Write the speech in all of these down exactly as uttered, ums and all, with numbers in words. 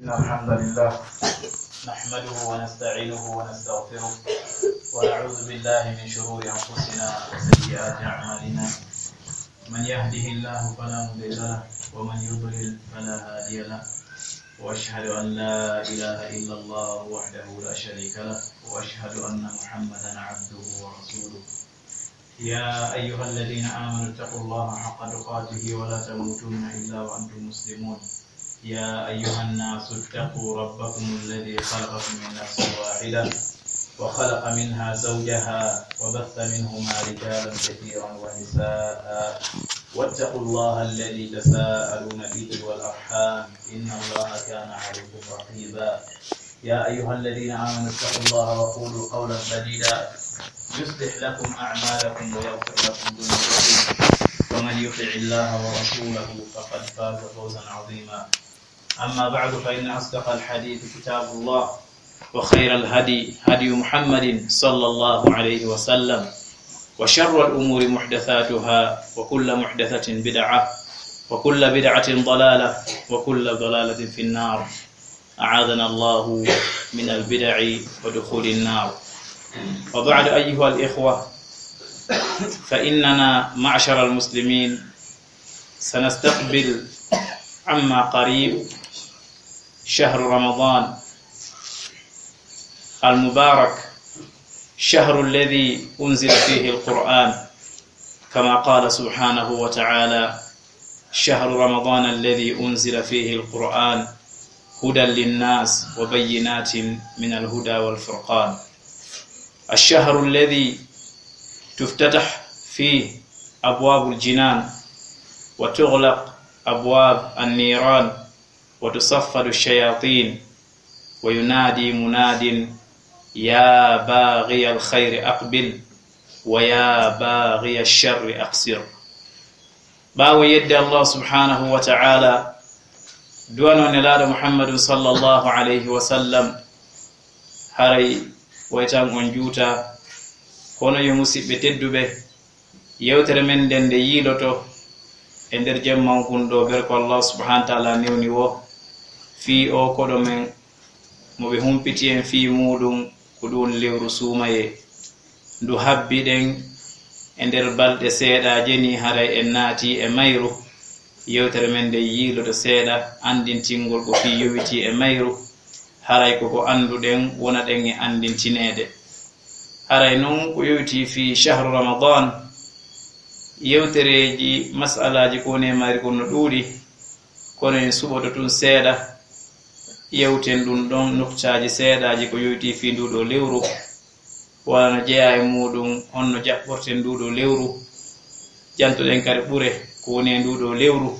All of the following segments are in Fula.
إن الحمد لله نحمده ونستعينه ونستغفره، ونعوذ بالله من شرور أنفسنا وسيئات أعمالنا. من يهده الله فلا مضل له، ومن يضلل فلا هادي له. وأشهد أن لا إله إلا الله وحده لا شريك له، وأشهد أن محمدا عبده ورسوله. يا أيها الذين آمنوا اتقوا الله حق تقاته ولا تموتن إلا وأنتم مسلمون. يا أيها الناس اتقوا ربكم الذي خلقكم من نفس واحدة وخلق منها زوجها وبث منهما رجالا كثيرا ونساء واتقوا الله الذي تساءلون به والأرحام إن الله كان عليكم رقيبا. يا أيها الذين آمنوا اتقوا الله وقولوا قولا سديدا يصلح لكم أعمالكم ويغفر لكم ذنوبكم ومن يطع الله ورسوله فقد فاز فوزا عظيما. أما بعد، فإن أصدق الحديث كتاب الله، وخير الهدي هدي محمد صلى الله عليه وسلم، وشر الأمور محدثاتها، وكل محدثة بدعة، وكل بدعة ضلالة، وكل ضلالة في النار. أعاذنا الله من البدع ودخول النار. وبعد، أيها الإخوة، فإننا معشر المسلمين سنستقبل عما قريب شهر رمضان المبارك، شهر الذي أنزل فيه القرآن، كما قال سبحانه وتعالى: شهر رمضان الذي أنزل فيه القرآن هدى للناس وبينات من الهدى والفرقان. الشهر الذي تفتتح فيه أبواب الجنان وتغلق أبواب النيران وتصفد الشياطين وينادي مناد: يا باغي الخير أقبل ويا باغي الشر أقصر. Ɓaawo yedde Allah subhanahu wa ta'ala, du'ano Nelaaɗo Muhammadun sallallahu alayhi wa sallam, haray waytan on juuta, kono yo musiɓɓe tedduɓe, yewtere men nden nde yiiloto e nder jemmankun ɗo, ber ko Allah subhanahu wa ta'ala newni wo fii o koɗo men mo ɓe humpiti en fii muuɗum, ko ɗum lewru suumayee. Ndu habbi ɗen e nder balɗe seeɗaaje ni, haray en naati e mayru. Yewtere men nde yiiloto seeɗa anndintingol ko fii yowiti e mayru, haray ko ko annduɗen wona ɗen e anndintineede. Haray non ko yowiti fii shahru Ramadan, yewtereeji, mas'alaaji ko woni e mayri kon no ɗuuɗi, kono en suɓoto tun seeɗa, yewten ɗum ɗon nuktaaji seeɗaaji ko yowiti fii ndu ɗo lewru, wala no jeyaa e muuɗum, honno jaɓɓorten ndu ɗo lewru, jantoɗen kadi ɓure ko woni e ndu ɗo lewru,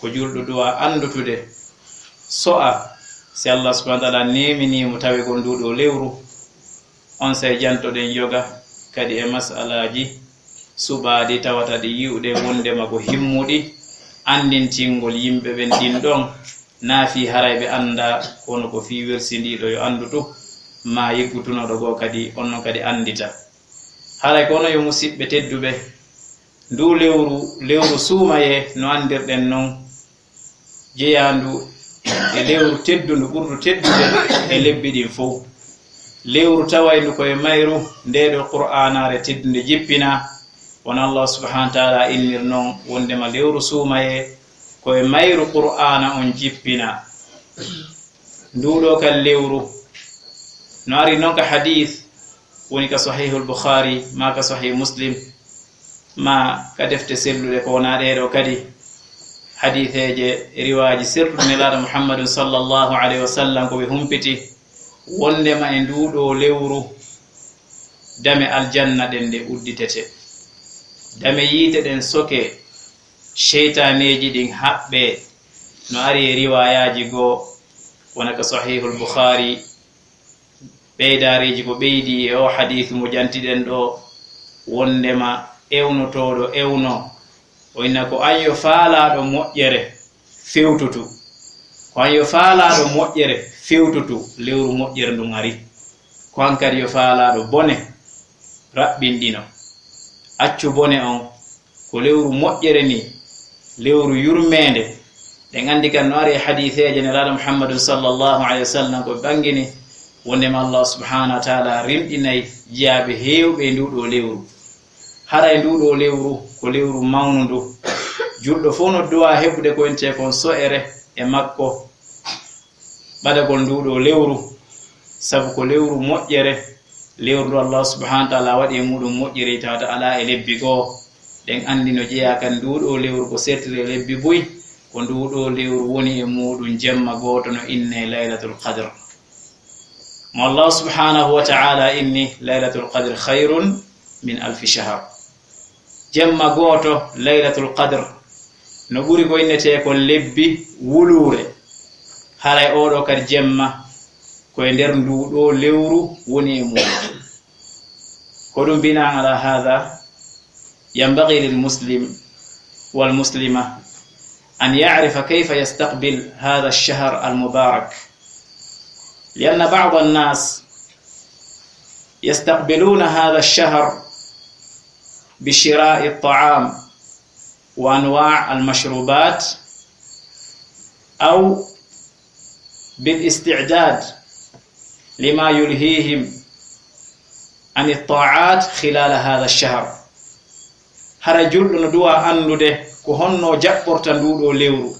ko julɗo duwa anndutude, so'a si Allah subhanahu wa ta'ala neeminii mo tawegol ndu ɗo lewru, onsay jantoɗen yoga kadi e mas'alaaji suɓaaɗi tawata ɗi yi'uɗen wondema ko himmuɗi anndintingol yimɓe ɓen ɗin ɗon, naa fii haray ɓe anndaa, kono ko fii welsindiiɗo yo anndu tun, maa yiggutunooɗo goo kadi, on non kadi anndita. Haray kono yo musiɓɓe tedduɓe, ndu lewru, lewru suumayee no anndirɗen non, jeyaandu e lewru teddundu ɓurdu teddude e lebbi ɗin fow. Lewru tawayndu ko e mayru nde ɗo Qur'aanaare teddunde jippinaa, wano Allah subhanahu wa ta'ala innir non wondema lewru suumayee ko e mayru Qur'aana on jippinaa. Ndu ɗo kan lewru no ari non ka hadiis woni ka Sahihul Bukhari, maa ka Sahih Muslim, maa ka defte selluɗe ko wonaa ɗee ɗo kadi, hadiiseeje, riwaaji sirruɗi Nelaaɗo Muhammadun sallallahu alayhi wa sallam ko ɓe humpiti wondema e ndu ɗo lewru dame aljanna ɗen ɗe udditete, dame yiite ɗen sokee, seytaaneeji ɗin haɓɓee, no ari e riwaayaaji goo wona ka Sahihul Bukhari, ɓeydaareeji ko ɓeydii e oo hadiisu mo jantiɗen ɗo, wondema ewnotooɗo ewno, o inna ko an yo faalaaɗo moƴƴere fewtotu, ko an yo faalaaɗo moƴƴere fewtotu, lewru moƴƴere ndun ari, ko an kadi yo faalaaɗo bone raɓɓinɗino, accu bone on, ko lewru moƴƴere ni, lewru yurmeende, Ɗen anndi kan no ari e hadiiseeje Nelaaɗo Muhammadun sallallahu alayhi wa sallam ko ɓangini wondema Allah subhanahu wa taala rimɗinay jiyaaɓe heewɓe e nduuɗo lewru. Haray nduuɗo lewru ko lewru mawnundu. Julɗo fof no duwa heɓude ko entee kon so'ere e makko ɓadagol nduuɗo lewru, sabu ko lewru moƴƴere, lewru ndu Allah subhanahu wa taala waɗi e muɗum moƴƴere tawata alaa e lebbi goo. Ɗen anndi no jeyaa kan nduuɗo lewru ko sertiri e lebbi buy, ko nduuɗo lewru woni e muɗum jemma gooto no innee Laylatul Qadr. Mo Allah subhanahu wa taala inni Laylatul Qadr khayrun min alfi shahr. Jemma gooto, Laylatul Qadr, no ɓuri ko innetee ko lebbi wuluure. Haray oo ɗoo kadi jemma ko e nder nduuɗo lewru woni e muɗum. Ko ɗum binaan ala hada, yanbaghi lil muslim wal muslima an ya'rifa kayfa yastaqbil hada ash-shahr al-mubarak. Lianna ba'da an-nas yastaqbiluna hada ash-shahr bi shira'i at-ta'am wa anwa' al-mashrubat aw bil isti'dad lima yulhihim an at-ta'at khilal hada ash-shahr. Hara julɗo no duwa anndude ko honno jaɓɓorta nduuɗo lewru.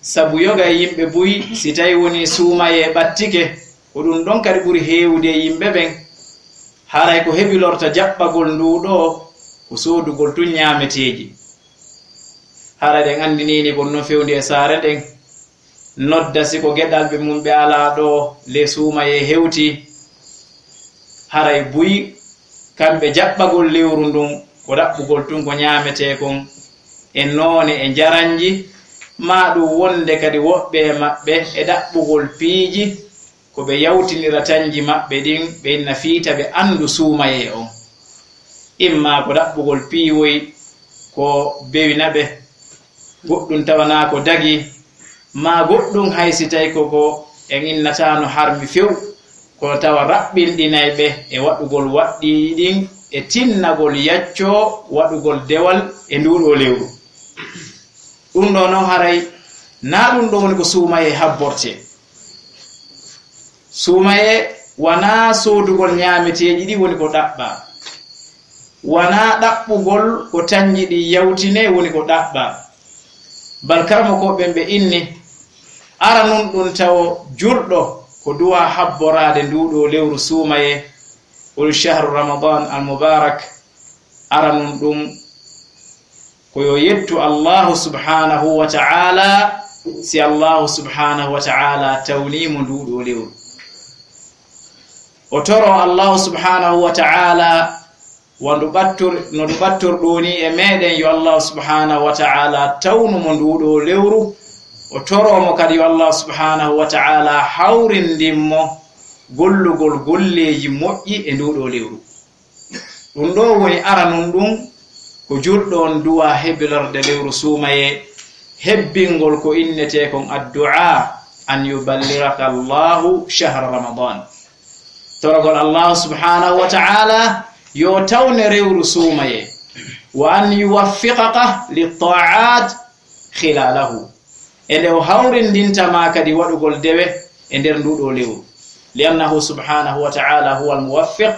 Sabu yoga e yimɓe buy, si tawi woni suumayee ɓattike, ko ɗum ɗon kadi ɓuri heewude e yimɓe ɓen. Haray ko hebilorta jaɓɓagol nduuɗo, ko soodugol tun ñaameteeji. Hara ɗen anndiniini kon non fewndi e saare ɗen. Nodda si ko geɗalɓe mum ɓe alaa ɗoo, le suumayee hewti. Haray buy kamɓe jaɓɓagol lewru ndun ko ɗaɓɓugol tun ko ñaametee kon e noone e njaranji, maa ɗum wonde kadi woɓɓe e maɓɓe e ɗaɓɓugol piiji ko ɓe yawtinira tanji maɓɓe ɗin, ɓe inna fiita ɓe anndu suumayee on. Imma ko ɗaɓɓugol piiwoy ko bewina ɓe, goɗɗum tawanaa ko dagi, maa goɗɗum hay si tawi ko ko en innataano harmi few, kono tawa raɓɓinɗinay ɓe e waɗugol waɗɗiiɗi ɗin e tinnagol yaccoo waɗugol dewal e nduuɗo lewru. Ɗum ɗoo non haray naa ɗum ɗoo woni ko suumayee habbortee. Suumayee wanaa soodugol ñaameteeji ɗi woni ko ɗaɓɓaa. Wanaa ɗaɓɓugol ko tanji ɗi yawtinee woni ko ɗaɓɓaa. Bal karamokooɓe ɓen ɓe inni, aranun ɗum tawo julɗo ko duwa habboraade nduuɗo lewru suumayee, ul shahru Ramadan al-mubarak, aranun ɗum ko yo yettu Allahu subhanahu wa ta'ala, si Allahu subhanahu wa ta'ala tawnii mo nduuɗo lewru. O toro Allahu subhanahu wa ta'ala, wandu ɓattor-, no ndu ɓattor ɗoo ni e meɗen, yo Allahu subhanahu wa ta'ala tawnu mo nduuɗo lewru. O toro mo kadi yo Allahu subhanahu wa ta'ala hawrindin mo gollugol golleeji moƴƴi e nduuɗo lewru. Ɗum ɗoo woni aranun ɗum ko julɗo on duwa hebilorde lewru suumayee, hebbingol ko innetee kon addu'a, an yuballighaka Allahu shahra Ramadan. Torogol Allahu subhanahu wa ta'ala yo tawne rewru suumayee, wa an yuwaffiqaka lit ta'at khilalahu. E nde o hawrindinta ma kadi waɗugol dewe e nder nduɗo lewru. Li annahu subhanahu wa ta'ala huwa al-muwaffiq,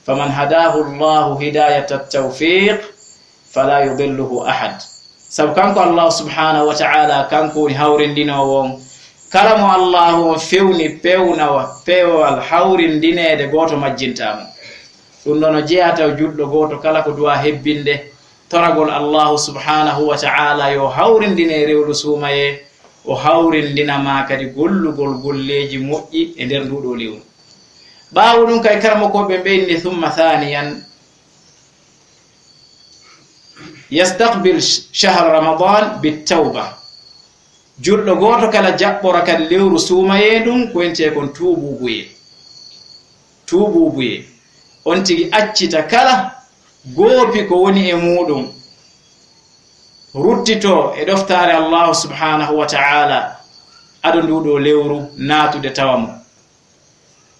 faman hadahu Allahu hidayata at-tawfiq, fala yudilluhu ahad. Sabu kanko Allahu subhanahu wa ta'ala, kanko woni hawrindinoowo on. Kala mo Allahu on fewni pewnawa-, peewal hawrindineede, gooto majjintaa mo. Ɗum ɗon no jeyaa taw julɗo gooto kala ko duwaa hebbinde, toragol Allahu subhanahu wa ta'ala yo hawrindine rewru suumayee, o hawrindina ma kadi gollugol golleeji moƴƴi e nder nduɗo lewru. Ɓaawo ɗum kay karamokooɓe ɓe inni, thumma thaniyan, yastaqbil shahra Ramadan bit tawba. Julɗo gooto kala jaɓɓora kadi lewru suumayee ndun, ko entee kon tuubuubuyee. Tuubuubuyee. On tigi accita kala goopi ko woni e muuɗum. Ruttitoo e ɗoftaare Allahu subhanahu wa ta'ala ado nduɗo lewru naatude tawa mo.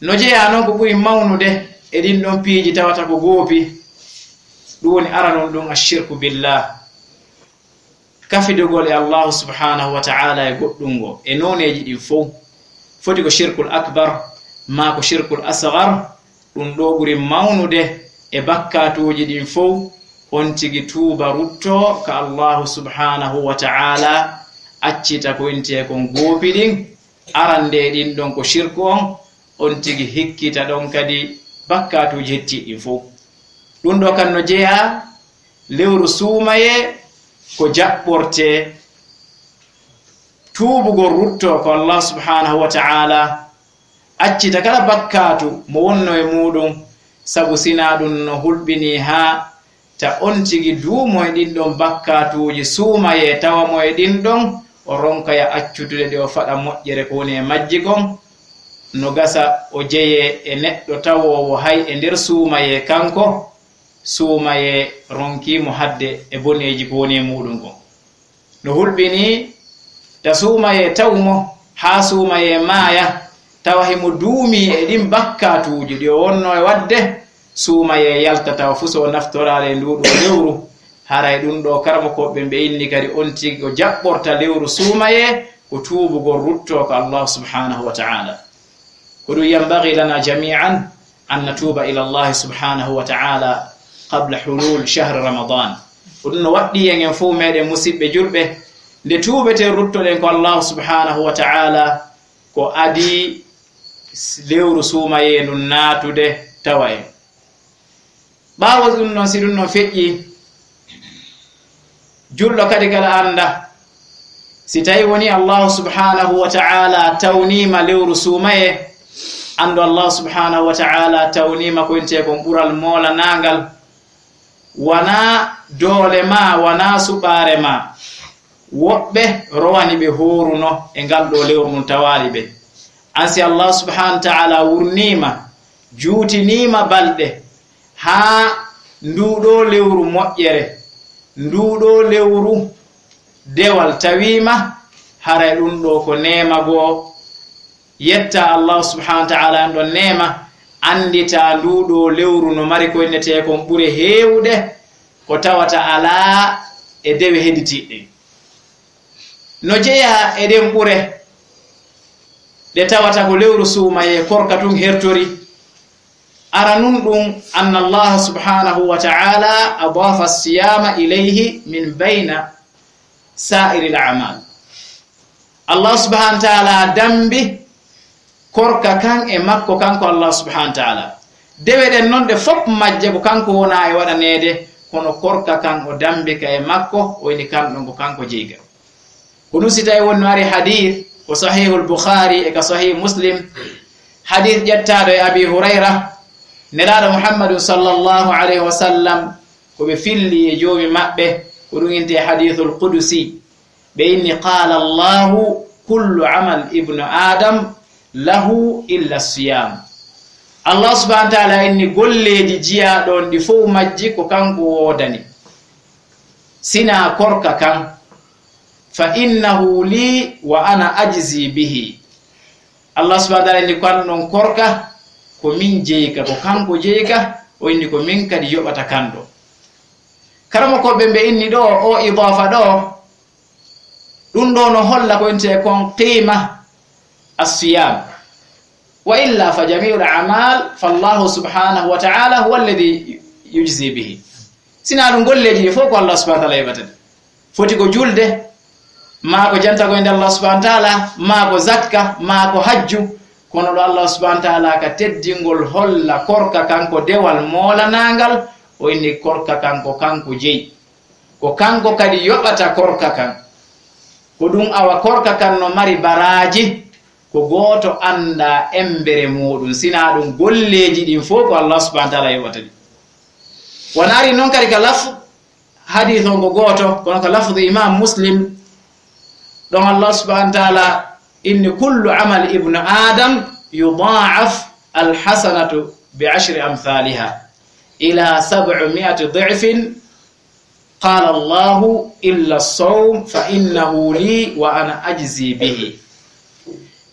No jeyaa non ko ɓuri mawnude e ɗin ɗon piiji tawata ko goopi, ɗum woni aranun ɗum ashirku billah. Kafidogol e Allahu subhanahu wa ta'ala e goɗɗungo e nooneeji ɗin fow, foti ko shirkul akbar, maa ko shirkul asghar, ɗum ɗoo ɓuri mawnude e bakkaatuuji ɗin fow, on tigi tuuba ruttoo ka Allahu subhanahu wa ta'ala, accita ko intee kon goopi ɗin, arande ɗin ɗon ko shirku on, on tigi hikkita ɗon kadi bakkaatuuji hettiiɗi ɗin fow. Ɗum ɗoo kan no jeyaa lewru suumayee ko jaɓɓortee, tuubugol ruttoo ko Allah subhanahu wa ta'ala, accita kala bakkaatu mo wonno e muuɗum, sabu sinaa ɗum no hulɓinii haa ta on tigi duumo e ɗin ɗon bakkaatuuji suumayee tawa mo e ɗin ɗon, o ronkaya accutude ɗe o faɗa moƴƴere ko woni e majji kon, no gasa o jeyee e neɗɗo tawoowo hay e nder suumayee kanko, suumayee ronkii mo hadde e boneeji ko woni e muuɗum kon. No hulɓinii ta suumayee tawu mo haa suumayee maaya, tawa himo duumii e ɗin bakkaatuuji ɗi o wonno e waɗde, suumayee yalta tawa fuu so o naftoraali e nduu ɗoo lewru. Haray ɗum ɗoo karamokooɓe ɓen ɓe inni kadi on tigi o jaɓɓorta lewru suumayee ko tuubugol ruttoo ka Allah subhanahu wa ta'ala. Ko ɗum, yanbaghi lana jami'an an natuba ila Allah subhanahu wa ta'ala qabla hulul shahri Ramadan. Ko ɗum no waɗɗii en, en fow meɗen, musiɓɓe julɓe, nde tuubeten ruttoɗen ko Allah subhanahu wa ta'ala ko adii lewru suumayee ndun naatude tawa en. Ɓaawo ɗum non, si ɗum non feƴƴii, julɗo kadi kala annda, si tawi woni Allahu subhanahu wa ta'ala tawniima lewru suumayee, anndu Allahu subhanahu wa ta'ala tawniima ko intee kon ɓural moolanaangal, wanaa doole maa, wanaa suɓaare maa. Woɓɓe rowani ɓe hooruno e ngal ɗoo lewru ndun tawaali ɓe. An si Allah subhanahu wa ta'ala wurniima, juutiniima balɗe, haa nduu ɗoo lewru moƴƴere, nduu ɗoo lewru dewal tawiima, haray ɗum ɗoo ko neema goo. Yetta Allah subhanahu wa ta'ala en ɗon neema, anndita nduu ɗoo lewru no mari ko innetee kon ɓure heewude ko tawata alaa e dewe heditiiɗe ɗen. No jeyaa e ɗen ɓure ɗe tawata ko lewru suumayee korka tun hertori. Aranun ɗum, anna Allaha subhanahu wa ta'ala adafa siyama ilayhi min bayna sa'iril a'mal. Allah subhanahu wa ta'ala dambi korka kan e makko, kanko Allah subhanahu wa ta'ala. Dewe ɗen non ɗe fof majje ko kanko wona e waɗaneede, kono korka kan o dambi ka e makko, o ini kan ɗon ko kanko jeyga. Ko ɗum si tawi wonno ari hadith ko Sahihul Bukhari e ka Sahih Muslim, hadith ƴettaaɗo e Abi Hurayra, Nelaaɗo Muhammadun sallallahu alayhi wa sallam, ko ɓe filli e Joomi maɓɓe, ko ɗum intee hadithul qudusi. Ɓe inni, "Qala Allahu, kullu amal ibnu Adam lahu illa siyam." Allah subhanahu wa ta'ala inni, "Golleeji jiyaaɗo on ɗi fow majji ko kanko woodani, sinaa korka kan. Fa innahu li wa ana ajzi bihi." Allah subhanahu wa ta'ala inni, "Kan ɗon korka ko min jeyka, ko kanko jeyka." O inni, "Ko min kadi yoɓata kan ɗo." Karamokooɓe ɓe inni ɗo, o idafa ɗo, ɗum ɗo no holla ko intee kon qima as-siyam. Wa illa fa jami'ul a'mal fa Allahu subhanahu wa ta'ala huwa alladhi yujzi bihi. Sinaa ɗum golleeji ɗi fof ko Allah subhanahu wa ta'ala yoɓata ɗi. Foti ko julde, maa ko jantagol e nde Allah subhanahu wa ta'ala, maa ko zakka, maa ko hajju. Kono ɗo Allah subhanahu wa ta'ala ka teddingol holla korka kanko dewal moolanangal, o inni korka kanko, kanko jeyi. Ko kanko kadi yoɓata korka kan. Ko ɗum awa korka kan no mari baraaji, ko gooto annda embere muuɗum, sinaa ɗum golleeji ɗin fof ko Allah subhanahu wa ta'ala yoɓata ɗi. Wanaari noon kadi ka lafdu hadith on ko gooto, kono ka lafdu Imam Muslim, ɗon Allah subhanahu wa ta'ala inni, "Kullu amal ibnu Adam yudha'af alhasanatu bi ashri amthaliha ila sab'mi'ati dhi'fin." Qala Allahu, "Illa as-sawm fa innahu li wa ana ajzi bihi."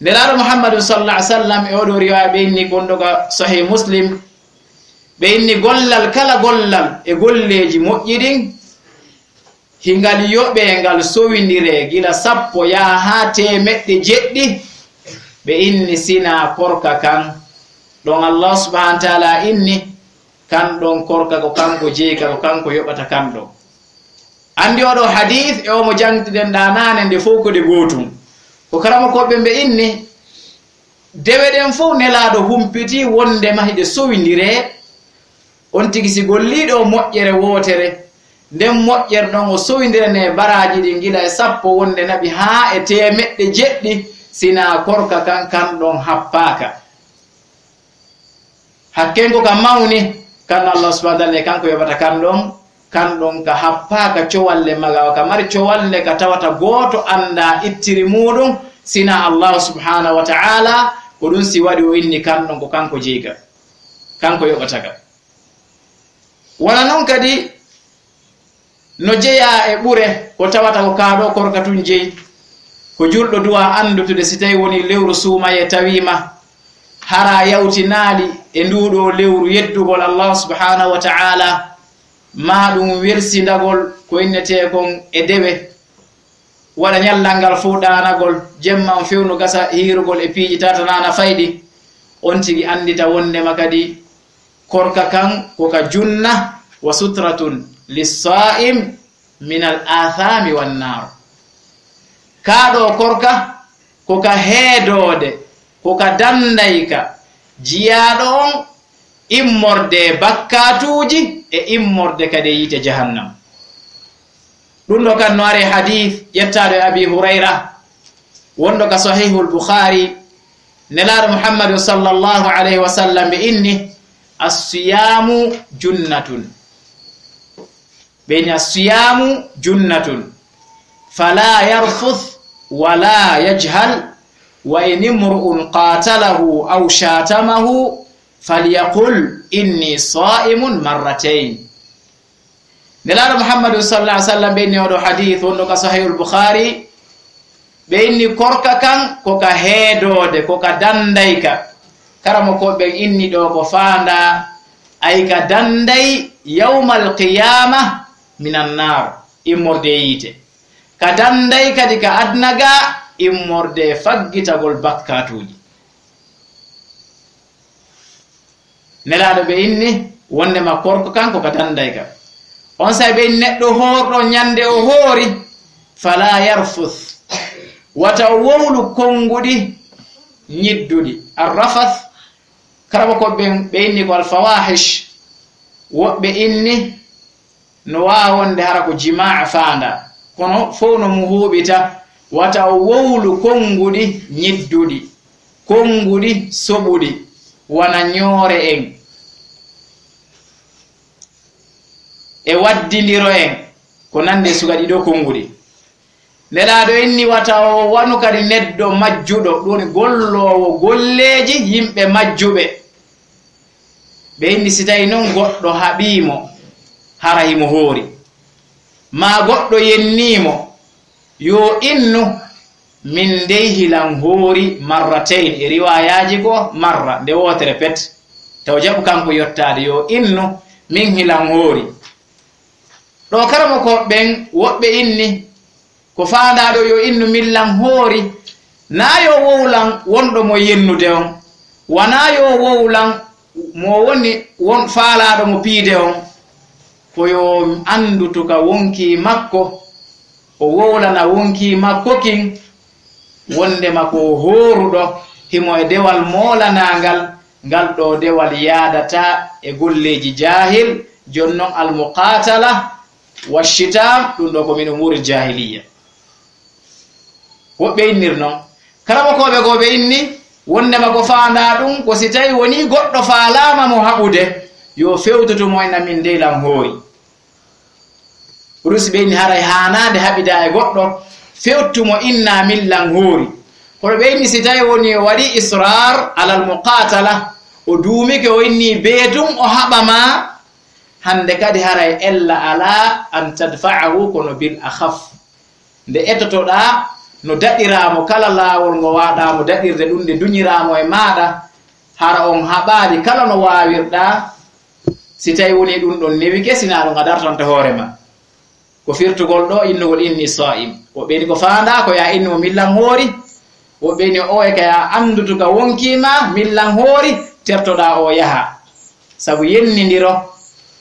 Nelaaɗo Muhammadu sallallahu alaihi wasallam e oɗo riwaya ɓe inni kon ɗo ka Sahih Muslim, ɓe inni gollal kala gollal e golleeji moƴƴi ɗin, hingal yoɓee ngal sowindiree gila sappo yaha haa teemeɗɗe jeɗɗi, ɓe inni sinaa korka kan. Ɗon Allah subhanahu wa ta'ala inni, kan ɗon korka ko kanko jeyka, ko kanko yoɓata kan ɗon. Anndi oɗo hadith e omo jangtiɗen ɗa naane nde fow ko ɗe gootum. Ko karamokooɓe ɓe inni, dewe ɗen fow Nelaaɗo humpiti wonde mahi ɗe sowindire, on tigi si golliiɗo o moƴƴere wootere, nden moƴƴere ɗon o sowindirane baraaji ɗin gila e sappo wonde naɓi haa e teemeɗɗe jeɗɗi, sinaa korka kan, kan ɗon happaaka. Hakkengo ka mawni, kan Allah subhanahu wa ta'ala ne kanko yoɓata kan ɗon, kan ɗon ka happaaka cowalle maga, ka mari cowalle ka tawata gooto annda ittiri muuɗum, sinaa Allah subhanahu wa ta'ala, ko ɗum si waɗi o inni kan ɗon ko kanko jeyga, kanko yoɓata ka. Wala non kadi, no jeyaa e ɓure ko tawata ko kaa ɗoo korka tun jeyi, ko julɗo duwa anndutude si tawi woni lewru suumaye tawiima, hara yawtinaali e nduu ɗoo lewru yeddugol Allah subhanahu wa ta'ala, maa ɗum welsindagol ko innetee kon e dewe, waɗa ñallal ngal fow ɗaanagol, jemma on fewnu gasa hiirugol e piiji tata naana fayɗi, on tigi anndita wondema kadi korka kan ko ka junna, wa sutratun lissa'im min al athami wan naar. Kaa ɗoo korka ko ka heedoode, ko ka dandayka jiyaaɗo on immorde bakkaatuuji e immorde kadi e yiite jahannam. Ɗum ɗo kan no ari hadith ƴettaaɗo e Abi Hurayra, wonɗo ka Sahihul Bukhari, Nelaaɗo Muhammadu sallallahu alayhi wa sallam ɓe inni, "As-siyaamu junnatun." Ɓe inni, "As-siyaamu junnatun. Fala yarfuth wala yajhal, wa in imru'un qatalahu aw shatamahu, falyaqul inni sa'imun marratayn." Nelaaɗo Muhammadu sallallahu alaihi wasallam ɓe inni oɗo hadith wonɗo ka Sahihul Bukhari, ɓe inni korka kan ko ka heedoode, ko ka dandayka. Karamokooɓe ɓen inni ɗo ko faandaa, ay ka danday yawmal qiyama minan naar, immorde e yiite. Ka danday kadi ka aduna ga, immorde e faggitagol bakkatuuji. Nelaaɗo ɓe inni wondema korko kan ko ka danday ka. On say ɓe inni neɗɗo hoorɗo ñande o hoori, fala yarfuth, wata o wowlu konnguɗi ñidduɗi. Arrafath, karaba ko ɓe, ɓe inni ko alfawahish, woɓɓe inni no waawa wonde hara ko jimaa faandaa, kono fow no mo huuɓita, wata o wowlu konnguɗi ñidduɗi, konnguɗi soɓuɗi, wano ñoore en, e waddindiro en, ko nande e suka ɗiɗo konnguɗi. Nelaaɗo inni wata o wonu kadi neɗɗo majjuɗo, ɗum woni golloowo golleeji yimɓe majjuɓe. Ɓe inni si tawi non goɗɗo haɓii mo, hara himo hoori, maa goɗɗo yennii mo, yo innu, "Min dey hilan hoori marratayn," e riwaayaaji ko marra, nde wootere pet, taw jaɓu kanko yottaade, yo innu, "Min hilan hoori." Ɗo karamokooɓe ɓen woɓɓe inni, ko faandaa ɗo yo innu millan hoori, naa yo wowlan wonɗo mo yennude on, wanaa yo wowlan mo woni won faalaaɗo mo piide on, ko yo anndutu ka wonkii makko, o wowlana wonkii makko kin, wondema ko hooruɗo, himo e dewal moolanaangal, ngal ɗo dewal yaadata e golleeji jaahil, jon non almuqaatala, wa shitam, ɗum ɗo ko min umuri jahiliya. Woɓɓe innir non. Karamokooɓe goo ɓe inni, wondema ko faandaa ɗum, ko si tawi wonii goɗɗo faalaama mo haɓude, yo fewtoto mo ena min dey lan hoori. Rusi ɓe inni haray haanaande haɓida e goɗɗo, fewtu mo inna min lan hoori. Kono ɓe inni si tawi woni o waɗi israr alal muqatala, o duumike o inni bee tun o haɓa ma, hande kadi haray ella alaa an tadfa'ahu kono bil akhaf. Nde etotoɗaa no daɗiraa mo kala laawol ngo waaɗaa mo daɗirde ɗum nde duñiraa mo e maaɗa, hara on haɓaali kala no waawirɗaa, si tawi woni ɗum ɗon newike, sinaa ɗum a dartanta hoore ma. Ko firtugol ɗo innugol inni saa'im. Woɓɓe ni ko faandaa ko yaa innu mo millan hoori. Woɓɓe ni o e ka yaa anndutu ka wonkii ma millan hoori, tertoɗaa o yaha. Sabu yennindiro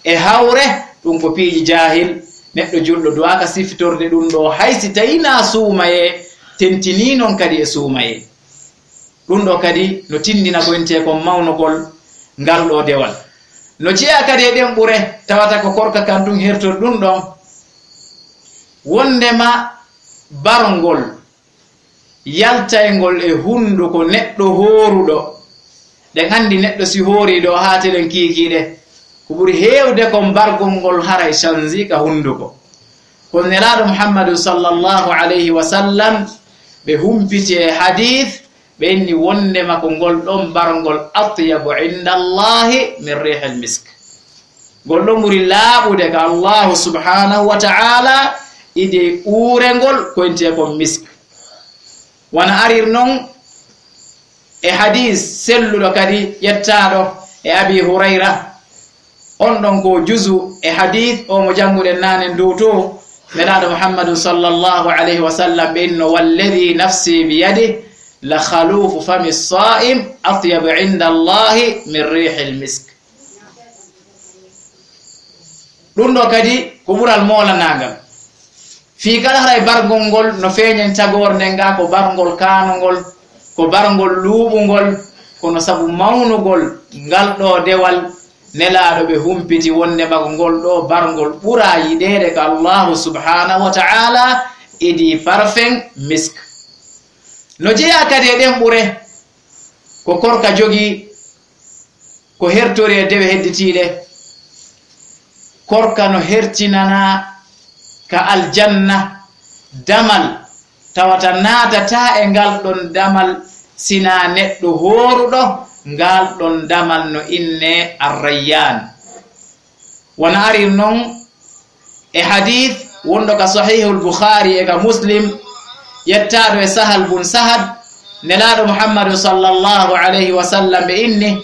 e hawre, ɗum ko piiji jaahil. Neɗɗo julɗo duwaaka siftorde ɗum ɗo, hay si tawii naa suumayee, tentinii non kadi e suumayee. Ɗum ɗo kadi no tindina ko wiyetee kon mawnugol ngal ɗo dewal. No jeyaa kadi e ɗemɓure, tawata ko korka kan tun hertori ɗum ɗon. Wondema barngol, yaltayngol e hunduko neɗɗo hooruɗo. Ɗen anndi neɗɗo si hoorii ɗo haa telen kiikiiɗe, ko ɓuri heewde kon bargol ngol haray shanzi ka hunduko. Kono Nelaaɗo Muhammadu sallallahu alayhi wa sallam, ɓe humpiti e hadiis, ɓe inni wondema ko ngol ɗon barngol atyabu inda Allahi min riihil misk. Ngol ɗon ɓuri laaɓude ka Allahu subhanahu wa ta'ala, idii uurengol ko wiyetee kon misk. Wano arir non e hadiis selluɗo kadi ƴettaaɗo e Abi Hurayra, on ɗon ko juzu e hadiis o mo jannguɗen naane ndu to, Nelaaɗo Muhammadu sallallahu alayhi wa sallam ɓe inno, "Walladhi nafsi biyadihi, la khalufu fami saa'im atyabu inda Allahi min riihil misk." Ɗum ɗo kadi ko ɓural moolanaangal. Fii kala haray bargol ngol no feeñen tagoore nden, ngaa ko bargol kaanungol, ko bargol luuɓungol, kono sabu mawnugol ngal ɗoo dewal, Nelaaɗo ɓe humpiti wonde ma ko ngol ɗoo bargol ɓuraa yiɗeede ka Allaahu subhaanahu wa ta'aala, idii parfum misk. No jeyaa kadi e ɗemɓure ko korka jogii, ko hertori e dewe hedditiiɗe. Korka no hertinanaa ka aljanna damal, tawata naatataa e ngal ɗon damal sinaa neɗɗo hooruɗo. Ngal ɗon damal no innee Arrayyaan. Wano arir non e hadiis wonɗo ka Sahihul Bukhaari e ka Muslim, ƴettaaɗo e Sahal bun Sahad, Nelaaɗo Muhammadu sallallahu alayhi wa sallam ɓe inni,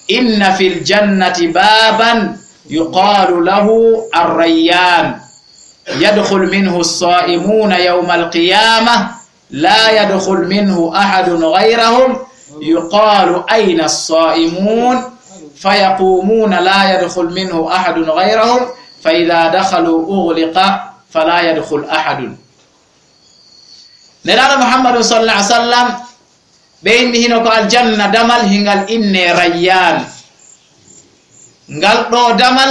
"Inna fil jannati baaban yuqaalu lahu Arrayyaan, yadkhulu minhu as-saa'imuuna yawmal qiyaamah." لا يدخل منه أحد غيرهم، يقال: أين الصائمون؟ فيقومون: لا يدخل منه أحد غيرهم، فإذا دخلوا أغلق فلا يدخل أحد. Nelaaɗo Muhammadu sallallahu alaihi wasallam ɓe inni hino ko aljanna damal hingal innee Rayyaan. Ngal ɗoo damal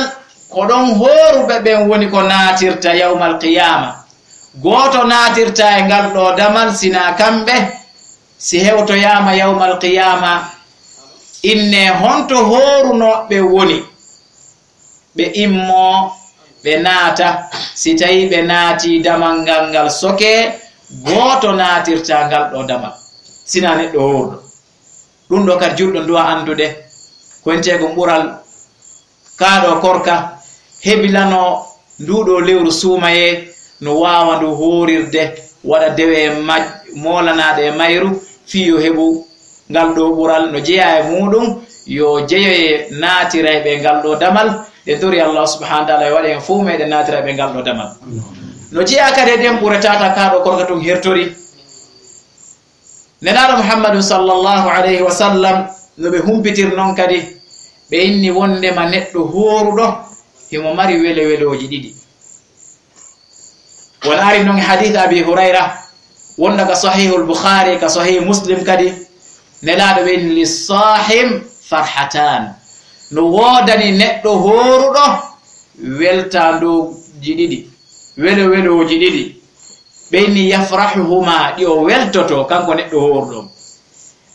ko ɗon hooruɓe ɓen woni ko naatirta yawmal qiyaama. Gooto naatirta e ngal ɗoo damal sinaa kamɓe. Si hewtoyaama yawmal qiyaama, innee honto hoorunooɓe woni? Ɓe immoo, ɓe naata. Si tawii ɓe naatii damal ngal, ngal sokee, gooto naatirta ngal ɗoo damal sinaa neɗɗo hooruɗo. Ɗum ɗoo kadi julɗo nduwa anndude ko enteego ɓural kaa ɗoo korka hebilanoo nduu ɗoo lewru suumayee, no waawa ndu hoorirde, waɗa dewe e maj-, moolanaaɗe e mayru, fii yo heɓu ngal ɗoo ɓural no jeyaa e muuɗum, yo jeyoye naatirayɓe e ngal ɗoo damal. Ɗe tori Allah subhanahu wa ta'ala yo waɗ en fow meɗen naatirayɓe e ngal ɗoo damal. No jeyaa kadi e ɗemɓure tata kaa ɗoo korka tun hertori. Nelaaɗo Muhammadu sallallahu alayhi wa sallam, no ɓe humpitir non kadi, ɓe inni wondema neɗɗo hooruɗo himo mari welowelooji ɗiɗi. Wano ari non e hadiis Abi Hurayra, wonɗo ka Sahihul Bukhaari, ka Sahih Muslim kadi, Nelaaɗo ɓe inni, "Lissaa'imi farhataan." No woodani neɗɗo hooruɗo weltaanduuji ɗiɗi, welowelooji ɗiɗi. Ɓe inni, "Yafrahuhumaa", ɗi o weltoto, kanko neɗɗo hooruɗo.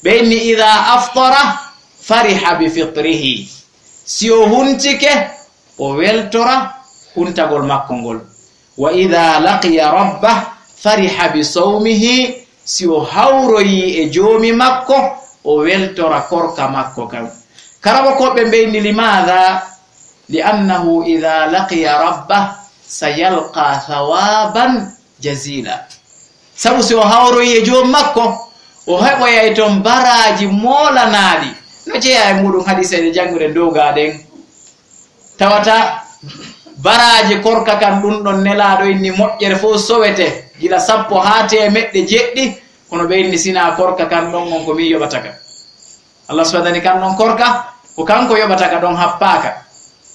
Ɓe inni, "Idaa aftara fariha bi fitrihi." Si o huntike, o weltora huntagol makko ngol. "Wa idaa laqiya rabbah fariha bi sawmihi." Si o hawroyii e Joomi makko, o weltora korka makko kan. Karabokooɓe ɓe inni, "Limaada?" "Li annahu idaa laqiya rabbah sayalqaa thawaaban jaziila." Sabu si o hawroyii e Joomi makko, o heɓoyay ton baraaji moolanaaɗi. No jeyaa e muuɗum hadiiseeje jannguɗen dow gaa ɗen. Tawata Baraaji korka kan ɗum ɗon Nelaaɗo inni moƴƴere fof sowete, gila sappo haa teemeɗɗe jeɗɗi, kono ɓe inni sinaa korka kan ɗon on ko min yoɓata ka. Allah subhanahu kan ɗon korka, ko kanko yoɓata ka ɗon happaaka.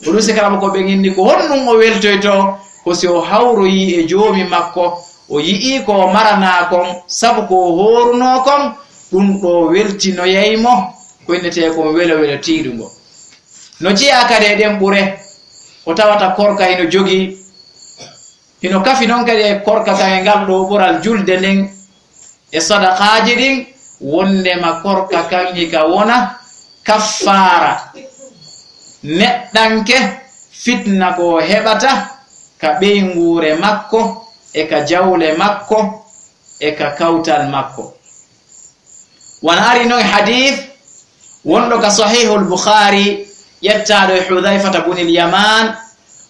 O ɗum si karama ko ɓe inni ko honɗum o weltoyto, ko si o hawroyii e joomi makko, o yi'ii ko o maranaa kon, sabu ko o hoorunoo kon, ɗum ɗo weltinoyay mo, ko innetee kon welo welo tiiɗungo. No jeyaa kadi e ɗen ɓure, ko tawata korka hino jogii, hino kafi non kadi e korka kan e ngal ɗo ɓural julde nden e sadaqaaji ɗin, wondema korka kan hika wona kaffaara neɗɗanke fitna ko heɓata ka ɓeynguure makko e ka jawle makko e ka kawtal makko. Wano ari non e hadiis wonɗo ka Sahihul Bukhari, ƴettaaɗo e Hudhayfata bunil Yaman,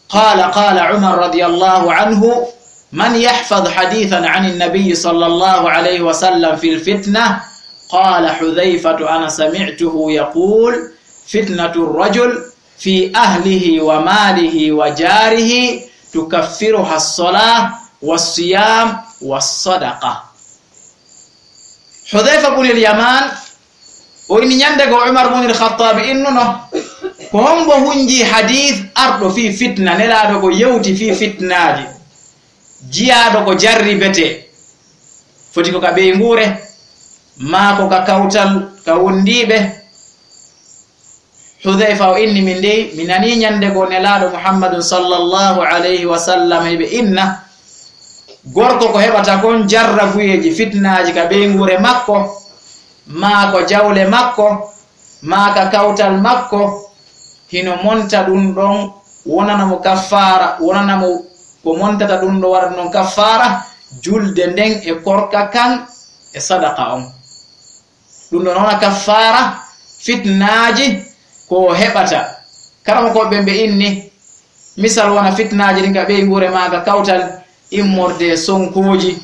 قال: قال عمر رضي الله عنه: من يحفظ حديثا عن النبي صلى الله عليه وسلم في الفتنة؟ قال حذيفة: أنا سمعته يقول: فتنة الرجل في أهله وماله وجاره تكفرها الصلاة والصيام والصدقة. Hudhayfa bunil Yaman, o inni ñande goo Umar bunil Khattabi innuno, ko hombo hunji hadiis arɗo fii fitna, Nelaaɗo ko yewti fii fitnaaji, jiyaaɗo ko jarribete, foti ko ka ɓeynguure, maa ko ka kawtal ka wondiiɓe? Hudhayfa o inni, min dey, mi nanii ñande goo Nelaaɗo Muhammadun sallallahu alayhi wa sallam hiɓe inna, gorko ko heɓata kon jarrabuyeeji, fitnaaji ka ɓeynguure makko, maa ko jawle makko, maa ka kawtal makko, hino monta ɗum ɗon, wonana mo kaffaara, wonana mo ko montata ɗum ɗo, waɗa ɗum ɗon kaffaara, julde nden e korka kan e sadaqa on. Ɗum ɗon wona kaffaara fitnaaji ko o heɓata. Karamokooɓe ɓen ɓe inni, misal wona fitnaaji ɗin ka ɓeynguure maa ka kawtal, immorde e sonkooji,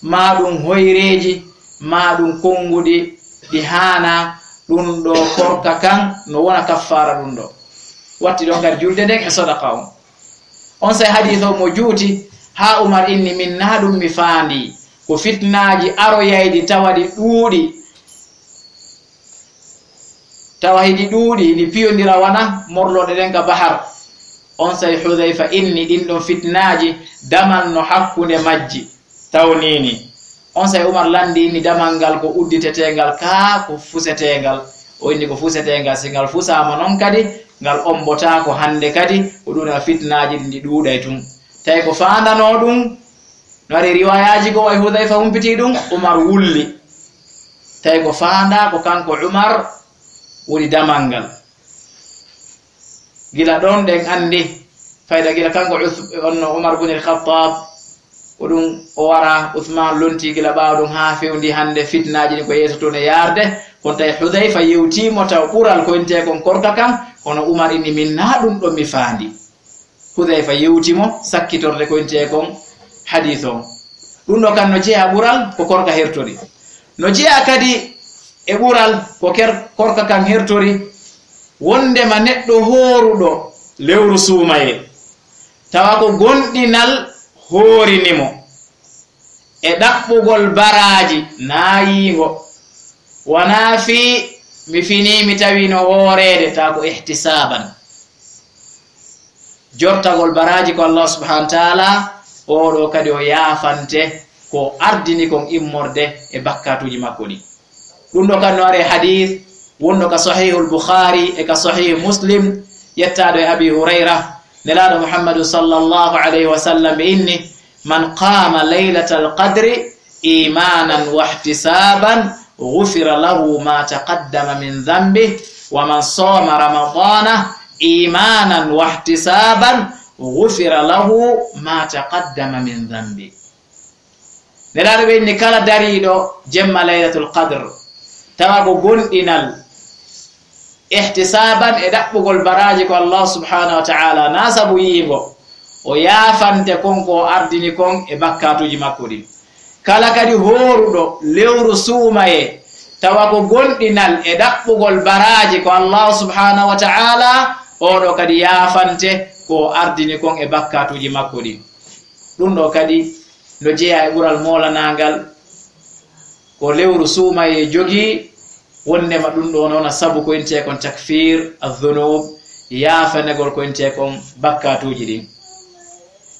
maa ɗum hoyreeji, maa ɗum konnguɗi ɗi haanaa, ɗum ɗo korka kan no wona kaffaara ɗum ɗo. Watti ɗon kadi julde nden e sadaqa on. Onsay hadiis o mo juuti, haa Umar inni, min naa ɗum mi faandi. Ko fitnaaji aroyayɗi tawa ɗi ɗuuɗi, tawa hiɗi ɗuuɗi, hiɗi piyondira wona morlooɗe ɗen ka bahar. Onsay Hudhayfa inni, ɗin ɗon fitnaaji, damal no hakkunde majji tawniini. Onsay Umar lanndi inni, damal ngal ko udditeteengal kaa ko fuseteengal? O inni, ko fuseteengal. Si ngal fusaama non kadi, ngal ombotaako hannde kadi, ko ɗum woni fitnaaji ɗin ɗi ɗuuɗay tun. Tawi ko faandanoo ɗum, no ari riwaayaaji goo, way Hudhayfa humpitii ɗum, Umar wulli. Tawi ko faandaa ko kanko Umar woni damal ngal. Gila ɗon ɗen anndi fayda, gila kanko Uth-, onno Umar bin al-Khattab, ko ɗum o wara, Uthman lonti gila ɓaawo ɗum haa fewndi hannde, fitnaaji ɗin ko yeeso toon e yaarde. Kono tawi Hudhayfa yewtii mo taw ɓural ko intee kon korka kan, kono Umar inni, min naa ɗum ɗon mi faandi. Hudhayfa yewti mo sakkitorde ko intee kon hadiis on. Ɗum ɗo kan no jeyaa ɓural ko korka hertori. No jeyaa kadi e ɓural ko ker-, korka kan hertori, wondema neɗɗo hooruɗo lewru suumayee, tawa ko gomɗinal hoorini mo, e ɗaɓɓugol baraaji naayiingo, wanaa fii mi finii mi tawii no hooreede, tawa ko ihtisaaban. Jortagol baraaji ko Allah subhanahu wa ta'ala, oo ɗoo kadi o yaafante ko ardini kon immorde e bakkaatuuji makko ɗin. Ɗum ɗoo kan no ari e hadiis wonɗo ka Sahihul Bukhari e ka Sahih Muslim, yettaaɗo e Abi Hurayra, Nelaaɗo Muhammadu sallallahu alayhi wa sallam ɓe inni, man qaama laylatal qadri iimaanan wahtisaaban, ghufira lahu ma taqaddama min dhanbih, wa man saama ramadaana iimaanan wahtisaaban, ghufira lahu ma taqaddama min dhanbih. Nelaaɗo ɓe inni, kala dariiɗo jemma Laylatul Qadr, tawa ko gomɗinal, ihtisaaban, e ɗaɓɓugol baraaji ko Allah subhanahu wa ta'ala, naa sabu yiingo, o yaafante kon ko o ardini kon e bakkaatuuji makko ɗin. Kala kadi hooruɗo lewru suumayee, tawa ko gomɗinal e ɗaɓɓugol baraaji ko Allah subhanahu wa ta'ala, oo ɗoo kadi yaafante ko ardini kon e bakkaatuuji makko ɗin. Ɗum ɗo kadi no jeyaa e ɓural moolanaangal ko lewru suumayee jogii, wonndema ɗum ɗo noona sabu ko intee kon takfir adh-dhunub, yaafanegol ko intee kon bakkaatuuji ɗin.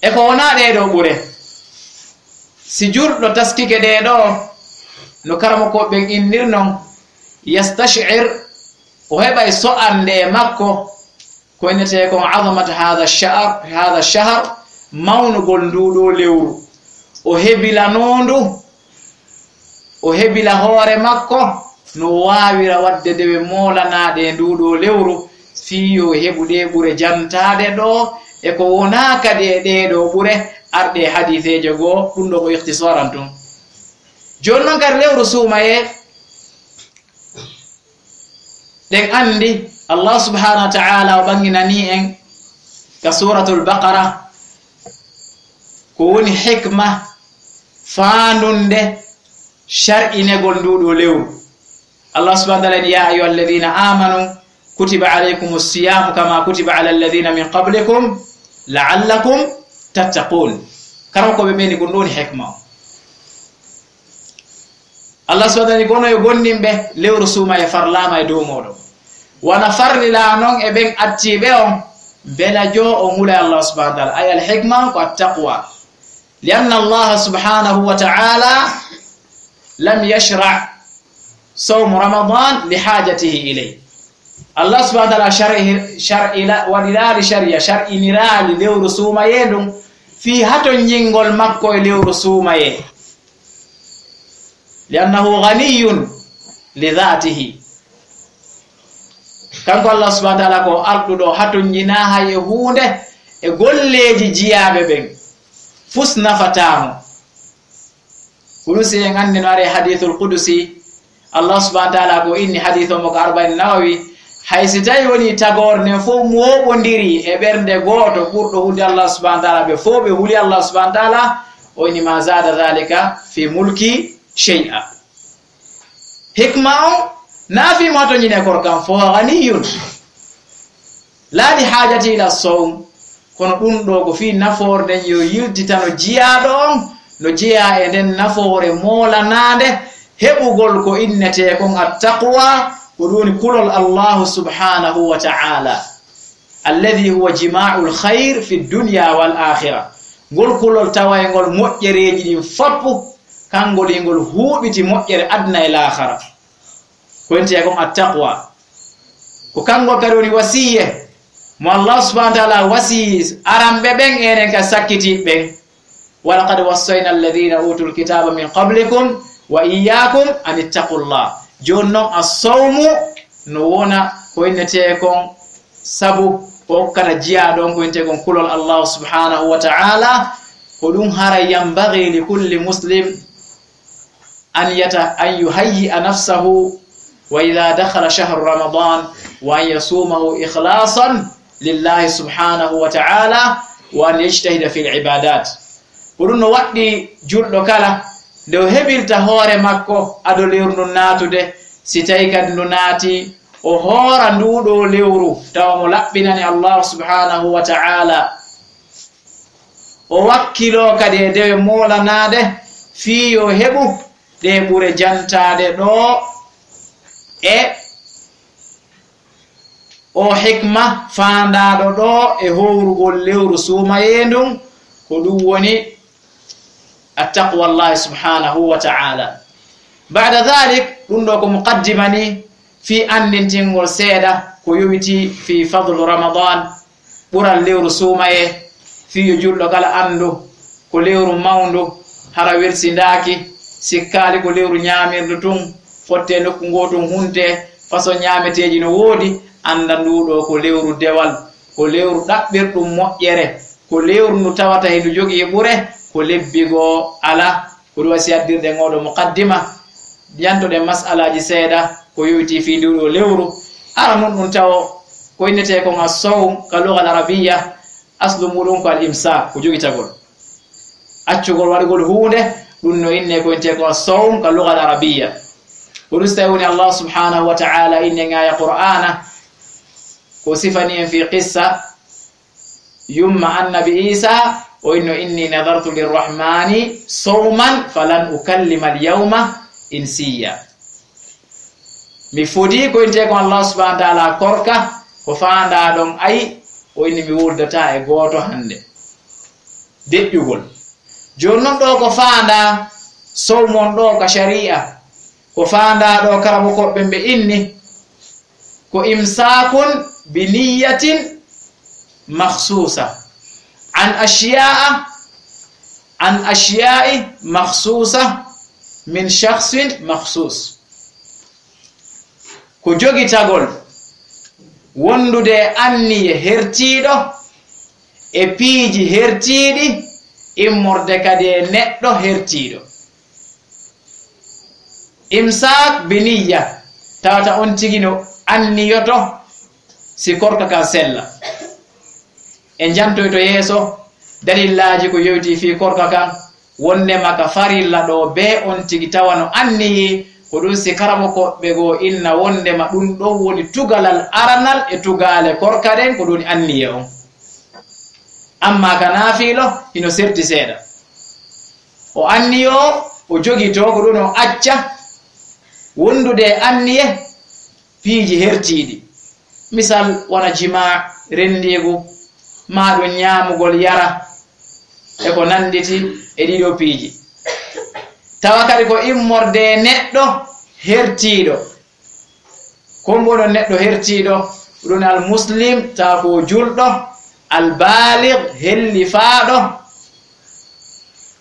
E ko wonaa ɗee ɗoo ɓure, si julɗo taskike ɗee ɗoo, no karamokooɓe ɓen innir non, yastash'ir, o heɓay so'ande e makko, ko innetee kon azamat hada shahr, hada shahr, mawnugol nduu ɗoo lewru. O hebila noo ndu, o hebila hoore makko, no waawira waɗde dewe moolanaaɗe e nduu ɗoo lewru, fii yo heɓu ɗee ɓure jantaaɗe ɗoo, e ko wonaa kadi e ɗee ɗoo ɓure, arɗe e hadiiseeje goo, ɗum ɗoo ko ikhtisaaran tun. Jooni non kadi lewru suumayee, ɗen anndi Allah subhanahu wa ta'ala o ɓanginanii en ka Suratul Baqara ko woni hikma faandunde shar'inegol nduu ɗoo lewru. Allah subhanahu wa ta'ala ni, "Ya ayyuha alladhina amanu kutiba alaykumus siyamu kama kutiba ala alladhina min qablikum la'allakum tattaqun." Karamokooɓe ɓen ni ko ɗum woni hikma o. Allah subhanahu wa ta'ala ni, "Kono yo gomɗinɓe, lewru suumayee farlaama e dow mooɗon. Wano farlilaa non e ɓen attiiɓe on, mbela joo on hula Allah subhanahu wa ta'ala." Ay al hikma ko at taqwa. Li anna Allah subhanahu wa ta'ala lam yashra' sawmu Ramadan li hajatihi ilayh. Allah subhanahu wa ta'ala shar'i-, shar'ila-, waɗiraali shari'a, shar'iniraali lewru suumayee ndun fii hatonjingol makko e lewru suumayee. Li annahu ghaniyyun li dhatihi. Kanko Allah subhanahu wa ta'ala ko alɗuɗo, hatonjinaa hay e huunde e golleeji jiyaaɓe ɓen. Fus nafataa mo. Ko ɗum si en anndi no ari e hadithul qudusi, Allah subhanahu wa ta'ala ko inni hadith o mo ko Arba'in Nawawi, hay si tawi woni tagoore nden fof mooɓondiri e ɓernde gooto ɓurɗo hulde Allah subhanahu wa ta'ala, ɓe fof ɓe huli Allah subhanahu wa ta'ala, o inni, "Ma zada dhalika fi mulki shay'a." Hikma on, na fii mo hatonjine kor kan, fo ghaniyun. La li hajati ila sawm, kono ɗum ɗo ko fii nafoore nden yo yiltitano jiyaaɗo on, no jeyaa e nden nafoore moolanaande, heɓugol ko innetee kon at-taqwa, ko ɗum woni kulol Allahu subhanahu wa ta'ala, alladhi huwa jima'ul khayr fi dunya wal akhirah. Ngol kulol tawayngol moƴƴereeji ɗin fappu, kangol e ngol huuɓiti moƴƴere aduna e laakhara. Ko wiyetee kon at-taqwa. Ko kanngol kadi woni wasiyye mo Allah subhanahu wa ta'ala wasii aranɓe ɓen, enen ka sakkitiiɓe ɓen. "Wa laqad wassayna alladhina utul kitaba min qablikum wa iyyakum an ittaqullah." Jooni non, as-sawmu no wona ko innetee kon sabu ko okkata jiyaaɗo on ko innetee kon kulol Allah subhanahu wa ta'ala. Ko ɗum haray yanbaghi li kulli muslim an yata-, an yuhayyi'a nafsahu wa idha dakhala shahru Ramadan wa an yasumahu ikhlasan lillahi subhanahu wa ta'ala wa an yajtahida fil ibadat. Ko ɗum no waɗɗi julɗo kala nde o hebilta hoore makko ado lewru ndun naatude, si tawi kadi ndu naati, o hoora nduu ɗoo lewru tawa mo laɓɓinani Allah subhanahu wa ta'ala. O wakkiloo kadi e dewe moolanaade fii yo heɓu ɗee ɓure jantaaɗe ɗoo e oo hikma faandaaɗo ɗoo e howrugol lewru suumayee ndun, ko ɗum woni attaqwallahi subhanahu wa ta'ala. Ba'da dhalik, ɗum ɗoo ko muqaddima ni fii anndintingol seeɗa ko yowitii fii fadlu Ramadan, ɓural lewru suumayee, fii yo julɗo kala anndu ko lewru mawndu, hara welsindaaki, sikkaali ko lewru ñaamirdu tun, fottee nokku ngootun huntee, façon ñaameteeji no woodi, annda nduu ɗoo ko lewru dewal, ko lewru ɗaɓɓirɗum moƴƴere, ko lewru ndu tawata hindu jogii ɓure, ko lebbi goo alaa. Ko ɗum wasi addirde ngooɗo muqaddima, jantoɗen mas'alaaji seeɗa ko yowitii fii nduu ɗoo lewru. Aranun ɗum tawo ko innetee kon as-sawm ka lugal arabiyya, aslu muɗum ko al-imsak, ko jogitagol. Accugol waɗugol huunde, ɗum no innee ko innetee kon as-sawm ka lugal arabiyya. Ko ɗum si tawi woni Allah subhanahu wa ta'ala inni en aaya Qur'aana, ko sifani en fii qissa, yumma annabi Isa, o inno: "Inni nadartu lirrahmani sawman falan ukallima alyawma insiya." Mi fodi ko intee kon Allah subhanahu wa ta'ala korka, ko faandaa ɗon, ay, o inni mi wuldataa e gooto hannde. Deƴƴugol. Jooni non ɗoo ko faandaa, sawmu on ɗoo ka shari'a, ko faandaa ɗoo karamokooɓe ɓe inni, ko imsaakun bi niyyatin makhsusa an ashya'a, an ashya'i makhsusa min shakhsin makhsus. Ko jogitagol wondude e anniye hertiiɗo e piiji hertiiɗi, immorde kadi e neɗɗo hertiiɗo. Imsaak bi niyya, tawata on tigi no anniyoto si korka kan sella. En jantoyto yeeso dalillaaji ko yowiti fii korka kan, wondema ka farilla ɗoo bee on tigi tawa no anniyii, ko ɗun si karamokooɓe goo inna wondema ɗun ɗon woni tugalal aranal e tugaale korka ɗen, ko ɗun anniye on. Amma ka naafiilo, hino serti seeɗa. O anniyoo, o jogitoo, ko ɗun o acca wondude e anniye piiji hertiiɗi. Misal, wona jimaa, renndiigu, maa ɗun ñaamugol yara, e ko nannditi e ɗii ɗoo piiji. Tawa kadi ko immorde e neɗɗo hertiiɗo. Ko mbo ɗon neɗɗo hertiiɗo, ɗun al muslim, tawa ko julɗo, al baalig, hellifaaɗo,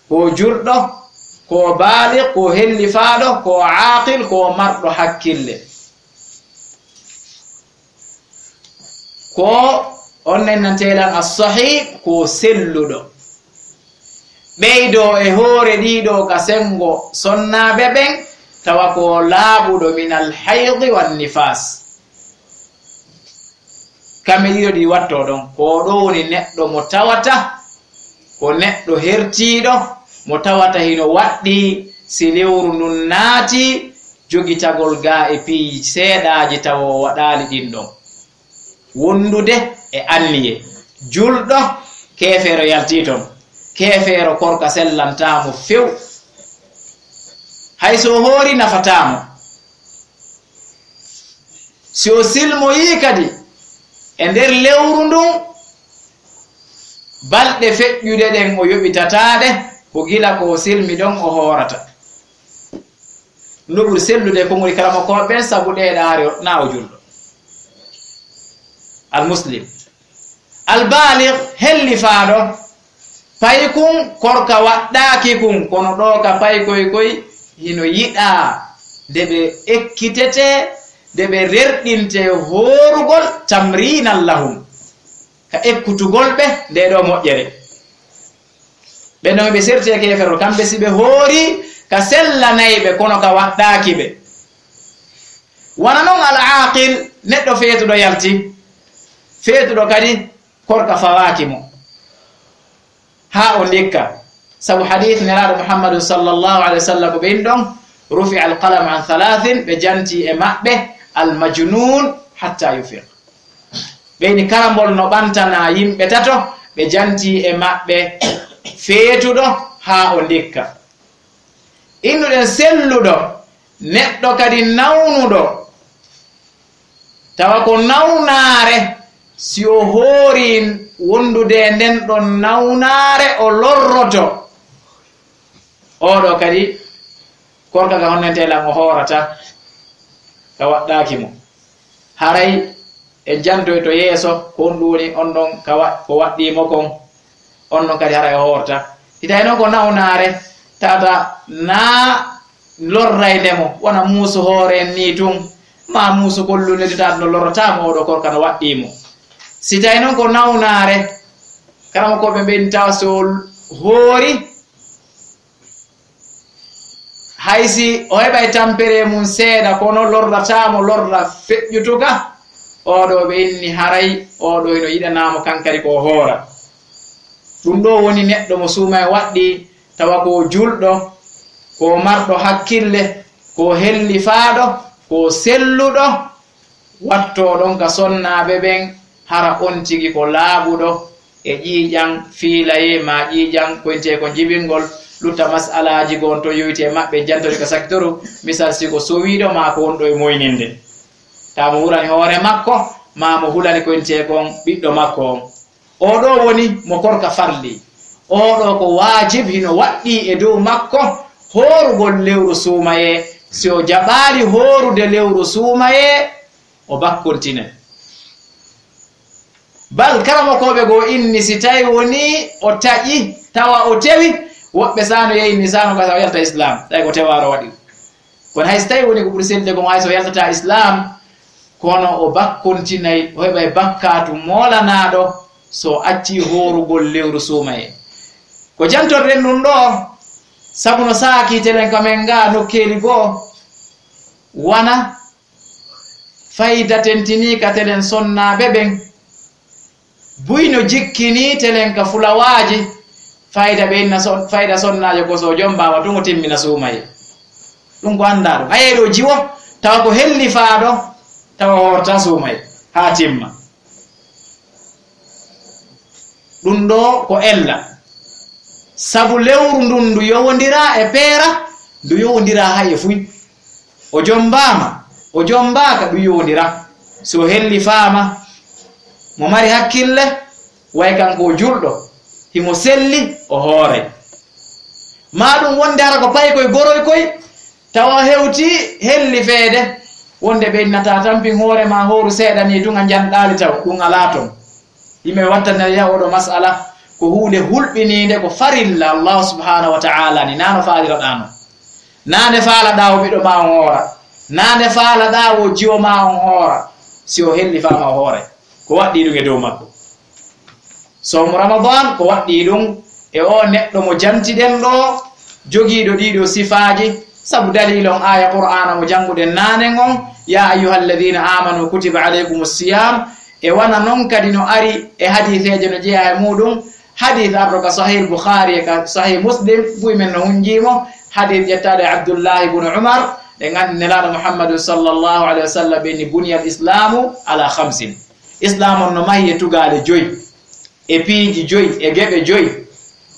ko julɗo, ko baalig, ko hellifaaɗo, ko aaqil, ko marɗo hakkille. Ko on nennanteeɗan as-sahih, ko selluɗo. Ɓeydoo e hoore ɗii ɗoo ka senngo sonnaaɓe ɓen, tawa ko laaɓuɗo min al haydi wan nifaas. Kamɓe ɗiɗo ɗi wattoo ɗon, ko ɗoo woni neɗɗo mo tawata ko neɗɗo hertiiɗo, mo tawata hino waɗɗii si lewru ndun naatii, jogitagol gaa e piiji seeɗaaji tawa o waɗaali ɗin ɗon. Wondude e anniye. Julɗo, keefeero yaltii ton. Keefeero korka sellantaa mo few. Hay so o hoori nafataa mo. Si o silmoyii kadi e nder lewru ndun, balɗe feƴƴuɗe ɗen o yoɓitataa ɗe, ko gila ko o silmi ɗon o hoorata. Ndu ɓuri sellude ko ngoni karamokooɓe ɓen, sabu ɗee ɗaari o, naa o julɗo. Al muslim. Al baalig, hellifaaɗo, paykun, korka waɗɗaaki kun, kono ɗoo ka paykoy koy hino yiɗaa nde ɓe ekkitetee, nde ɓe rerɗintee hoorugol, tamriinan lahum, ka ekkutugol ɓe ndee ɗoo moƴƴere. Ɓe non ɓe serti e keeferol, kamɓe si ɓe hoori ka sellanay ɓe, kono ka waɗɗaaki ɓe. Wano non al aaqil, neɗɗo feetuɗo yalti, feetuɗo kadi korka fawaaki mo. Haa o ndikka. Sabu hadiis Nelaaɗo Muhammadu sallallahu alaihi wasallam ko ɓe in ɗon, rufi al qalam an thalathin, ɓe janti e maɓɓe al majnun hatta yufiq. Ɓe ini karambol no ɓantanaa yimɓe tato, ɓe janti e maɓɓe feetuɗo haa o ndikka. Innuɗen selluɗo, neɗɗo kadi nawnuɗo, tawa ko nawnaare, si o hoori wondude e nden ɗon nawnaare, o lorroto. Oɗo kadi, korka ka honnentee lan o hoorata, ka waɗɗaaki mo. Haray en jantoyto yeeso, ko honɗun woni on ɗon ka wa-, ko waɗɗii mo kon, on ɗon kadi haray o hoorta. Si tawii non ko nawnaare, tawata naa lorraynde mo, wona muusu hoore en nii tun, maa muusu kollunde tun, tawata no lorrataa mo, oɗo korka no waɗɗii mo. Si tawii non ko nawnaare, karamokooɓe ɓen tawa si o hoori, hay si o heɓay tampere mun seeɗa, kono lorrataa mo lorra feƴƴutuka, oɗo ɓe inni haray, oɗo hino yiɗanaa mo kankadi ko o hoora. Ɗun ɗoo woni neɗɗo mo suumayee waɗɗii, tawa ko julɗo, ko marɗo hakkille, ko hellifaaɗo, ko selluɗo, wattoo ɗon ka sonnaaɓe ɓen, hara on tigi ko laaɓuɗo, e ƴiiƴan fiilayee maa ƴiiƴan koynteekon jibingol, lutta masalaaji goo on to yowitii e maɓɓe, jantori ka sakitoru, misal si ko sowiiɗo maa ko wonɗo e moyninde. Tawa mo hulani hoore makko, maa mo hulani koynteekon ɓiɗɗo makko on. Oo ɗoo woni mo korka farli. Oo ɗoo ko waajib hino waɗɗii e dow makko hoorugol lewru suumayee. Si o jaɓaali hoorude lewru suumayee, o bakkontinay. Bal karamokooɓe goo inni si tawi wonii o taƴi, tawa o tewi, woɓɓe saano yeyi ni saano ka o yalta Islaam, tawi ko tewaaro waɗi. Kono hay si tawi wonii ko ɓuri sellude kon hay so yaltataa Islaam, kono o bakkontinay, o heɓay bakkaatu moolanaaɗo so accii hoorugol lewru suumayee. Ko jantorɗen ɗun ɗoo, sabu no saakii telen ka men ngaa nokkeeli goo, wona fayda tentinii ka telen sonnaaɓe ɓen. Buy no jikkinii telen ka fulawaaji, fayda ɓe inna son-, fayda sonnaajo ko so o jombaama tun o timmina suumayee. Ɗun ko anndaa ɗun. A yehi ɗoo jiwo, tawa ko hellifaaɗo, tawa o hoortaa suumayee haa timma. Ɗun ɗoo ko ella. Sabu lewru ndun ndu yowondiraa e peera, ndu yowondiraa hay e fuy. O jombaama, o jombaaka, ɗun yowondiraa. Si o hellifaama, mo mari hakkille, way kanko o julɗo, himo selli, o hooray. Maa ɗun wonde hara ko paykoy goroy koy, tawa o hewtii hellifeede, wonde ɓe innataa tampin hoore maa hooru seeɗa nii tun a janɗaali taw, ɗun alaa ton. Yimɓe wattanira yaa oo ɗoo mas'ala ko huunde hulɓiniinde, ko farilla Allaahu subhaanahu wa ta'aalaa ni, naa no faaliraɗaa non. Naa nde faalaɗaa o ɓiɗɗo maa on hoora, naa nde faalaɗaa o jiwo maa on hoora, si o hellifaama o hooray. Ko waɗɗii ɗun e dow makko. Soomu Ramadan ko waɗɗii ɗun e oo neɗɗo mo jantiɗen ɗoo, jogiiɗo ɗii ɗoo sifaaji, sabu daliil on aaya Qur'aana mo jannguɗen naanen on, "يا أيها الذين آمنوا كتب عليكم الصيام." E wano non kadi no ari e hadiiseeje no jeyaa e muuɗun, hadiis arɗo ka Sahih Bukhari e ka Sahih Muslim, buy men no hunjii mo, hadiis ƴettaaɗo e Abdullahi ibn Umar, ɗen anndi Nelaaɗo Muhammadu sallallahu alayhi wa sallam ɓe inni, "بني الإسلام على خمس." Islaam on no mahii e tugaale joy, e piiji joy, e geɓe joy.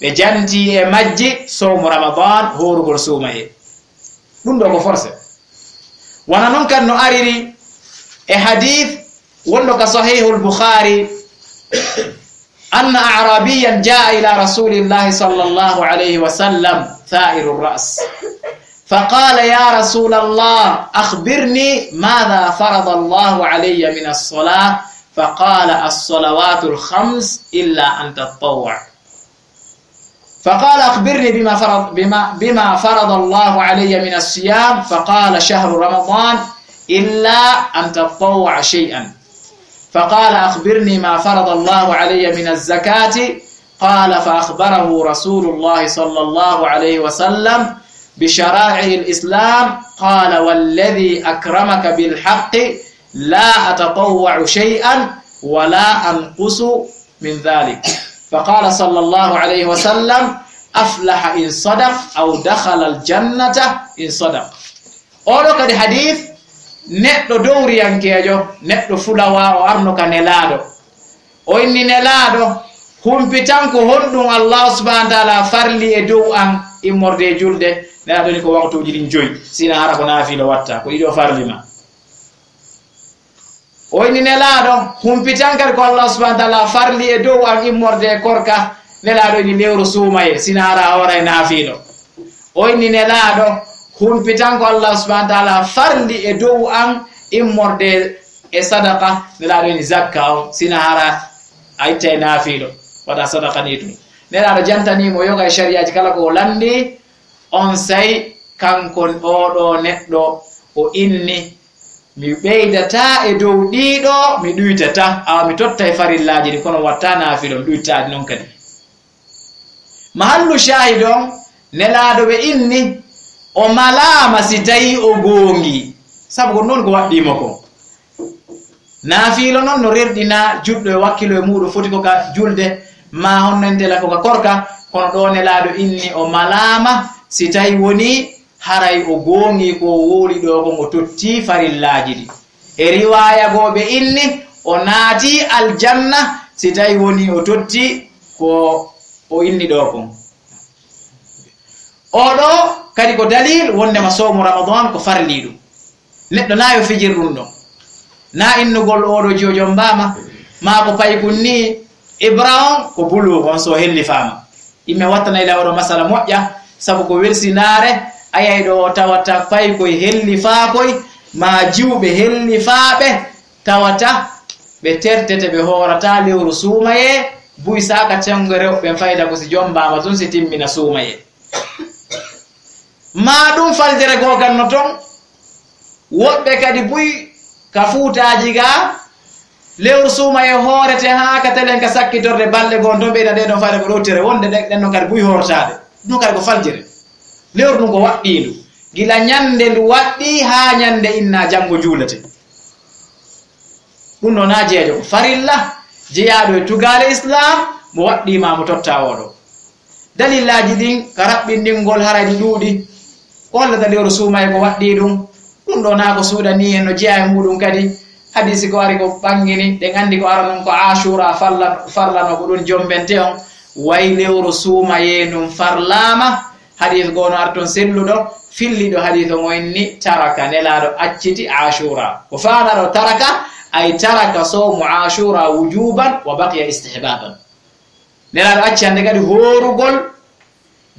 Ɓe jantii e majji soomu Ramadan, hoorugol suumayee. Ɗun ɗoo ko forcé. Wano non kadi no ariri e hadiis wonɗo ka Sahihul Bukhari, أن أعرابيا جاء إلى رسول الله صلى الله عليه وسلم ثائر الرأس، فقال: "يا رسول الله، أخبرني ماذا فرض الله علي من الصلاة؟" فقال: "الصلوات الخمس إلا أن تطوع." فقال: "أخبرني بما فرض، بما، بما فرض الله علي من الصيام." فقال: "شهر رمضان إلا أن تطوع شيئا." فقال: "أخبرني ما فرض الله علي من الزكاة." قال: فأخبره رسول الله صلى الله عليه وسلم بشرائع الإسلام. قال: "والذي أكرمك بالحق لا أتطوع شيئا ولا أنقص من ذلك." فقال صلى الله عليه وسلم: "أفلح إن صدق، أو دخل الجنة إن صدق." Oo ɗoo kadi hadiis, neɗɗo dowriyankeejo, neɗɗo fulawaa, o arno ka Nelaaɗo. O inni Nelaaɗo, "Humpitan ko honɗun Allaahu subhaanahu wa ta'aalaa farli e dow an immorde e julde?" Nelaaɗo ni ko waqtuuji ɗin joy, si hinaa hara ko naafiilo watta, ko ɗii ɗoo farli ma. O inni Nelaaɗo, "Humpitan kadi ko Allaahu subhaanahu wa ta'aalaa farli e dow an immorde e korka?" Nelaaɗo inni lewru suumayee, si hinaa hara a hooray naafiilo. O inni Nelaaɗo, "Humpitan ko Allaahu subhaanahu wa ta'aalaa farli e dow an immorde e sadaka?" Nelaaɗo inni zakka on, si hinaa hara a ittay naafiilo, waɗa sadaka nii tun. Nelaaɗo jantanii mo yoga e sariyaaji kala ko o lanndii, onsay kanko oo ɗoo neɗɗo o inni, "Mi ɓeydataa e dow ɗii ɗoo, mi ɗuytataa, awa mi tottay farillaaji ɗin, kono mi wattataa naafiilo, mi ɗuytataa ɗi non kadi." Mahallu shaahid on, Nelaaɗo ɓe inni, o malaama si tawii o goongii, sabu ko non ko waɗɗii mo kon. Naafiilo non no rerɗinaa, julɗo e wakkilo e muuɗum foti ko ka julde, maa honno entela ko ka korka, kono ɗoo Nelaaɗo inni o malaama si tawii wonii haray o goongii ko o wowli ɗoo kon, o tottii farillaaji ɗin. E riwaaya goo ɓe inni o naatii aljanna Si tawi woni o totti ko o inni ɗo kon. Oɗo kadi ko dalil wondema soomu Ramadan ko farliiɗum. Neɗɗo na yo fijir ɗum ɗon. Na innugol oɗo jiyo jombaama, maa ko paykun ni ibra on ko bulu on so hellifaama. Imme wattanayla oɗo masala moƴƴa, sabu ko welsindaare, ayay ɗo tawata paykoy hellifaakoy, maa jiwɓe hellifaaɓe, tawata ɓe tertete, ɓe hoorata lewru suumayee, buy saaka tenngo rewɓe ɓen fayda ko si jombaama tun si timmina suumayee. Maa ɗum faljere googanno ton, woɓɓe kadi buy ka fuutaaji ga, lewru suumayee hoorete haa ka telen ka sakkitorde balɗe goo ton ɓeyda ɗee ɗon fayda ko ɗowtere wonde ɗe-, ɗen non kadi buy hoortaade. Ɗum kadi ko faljere. Lewru ndun ko waɗɗiindu. Gila ñande ndu waɗɗii haa ñande inna janngo juulete. Ɗum ɗo na jeejo, ko farilla jeyaaɗo e tugaale Islaam, mo waɗɗii ma mo totta oɗo. Dalillaaji ɗin ka raɓɓinɗingol haray ɗi ɗuuɗi. Ko hollata lewru suumayee ko waɗɗii ɗum? Ɗum ɗo na ko suuɗanii en no jeyaa e muuɗum kadi. Hadiisi ko ari ko ɓanngini, ɗen anndi ko aranun ko Aashuura farla-, farlano ko ɗum jombente on. Way lewru suumayee ndun farlaama, hadiis goo no ari ton selluɗo, filliɗo hadiis on o inni, taraka, Nelaaɗo acciti Aashuura. Ko faanaro taraka, ay taraka sawmu Aashuura wujuuban wa baqiya istihbaaban. Nelaaɗo acci hannde kadi hoorugol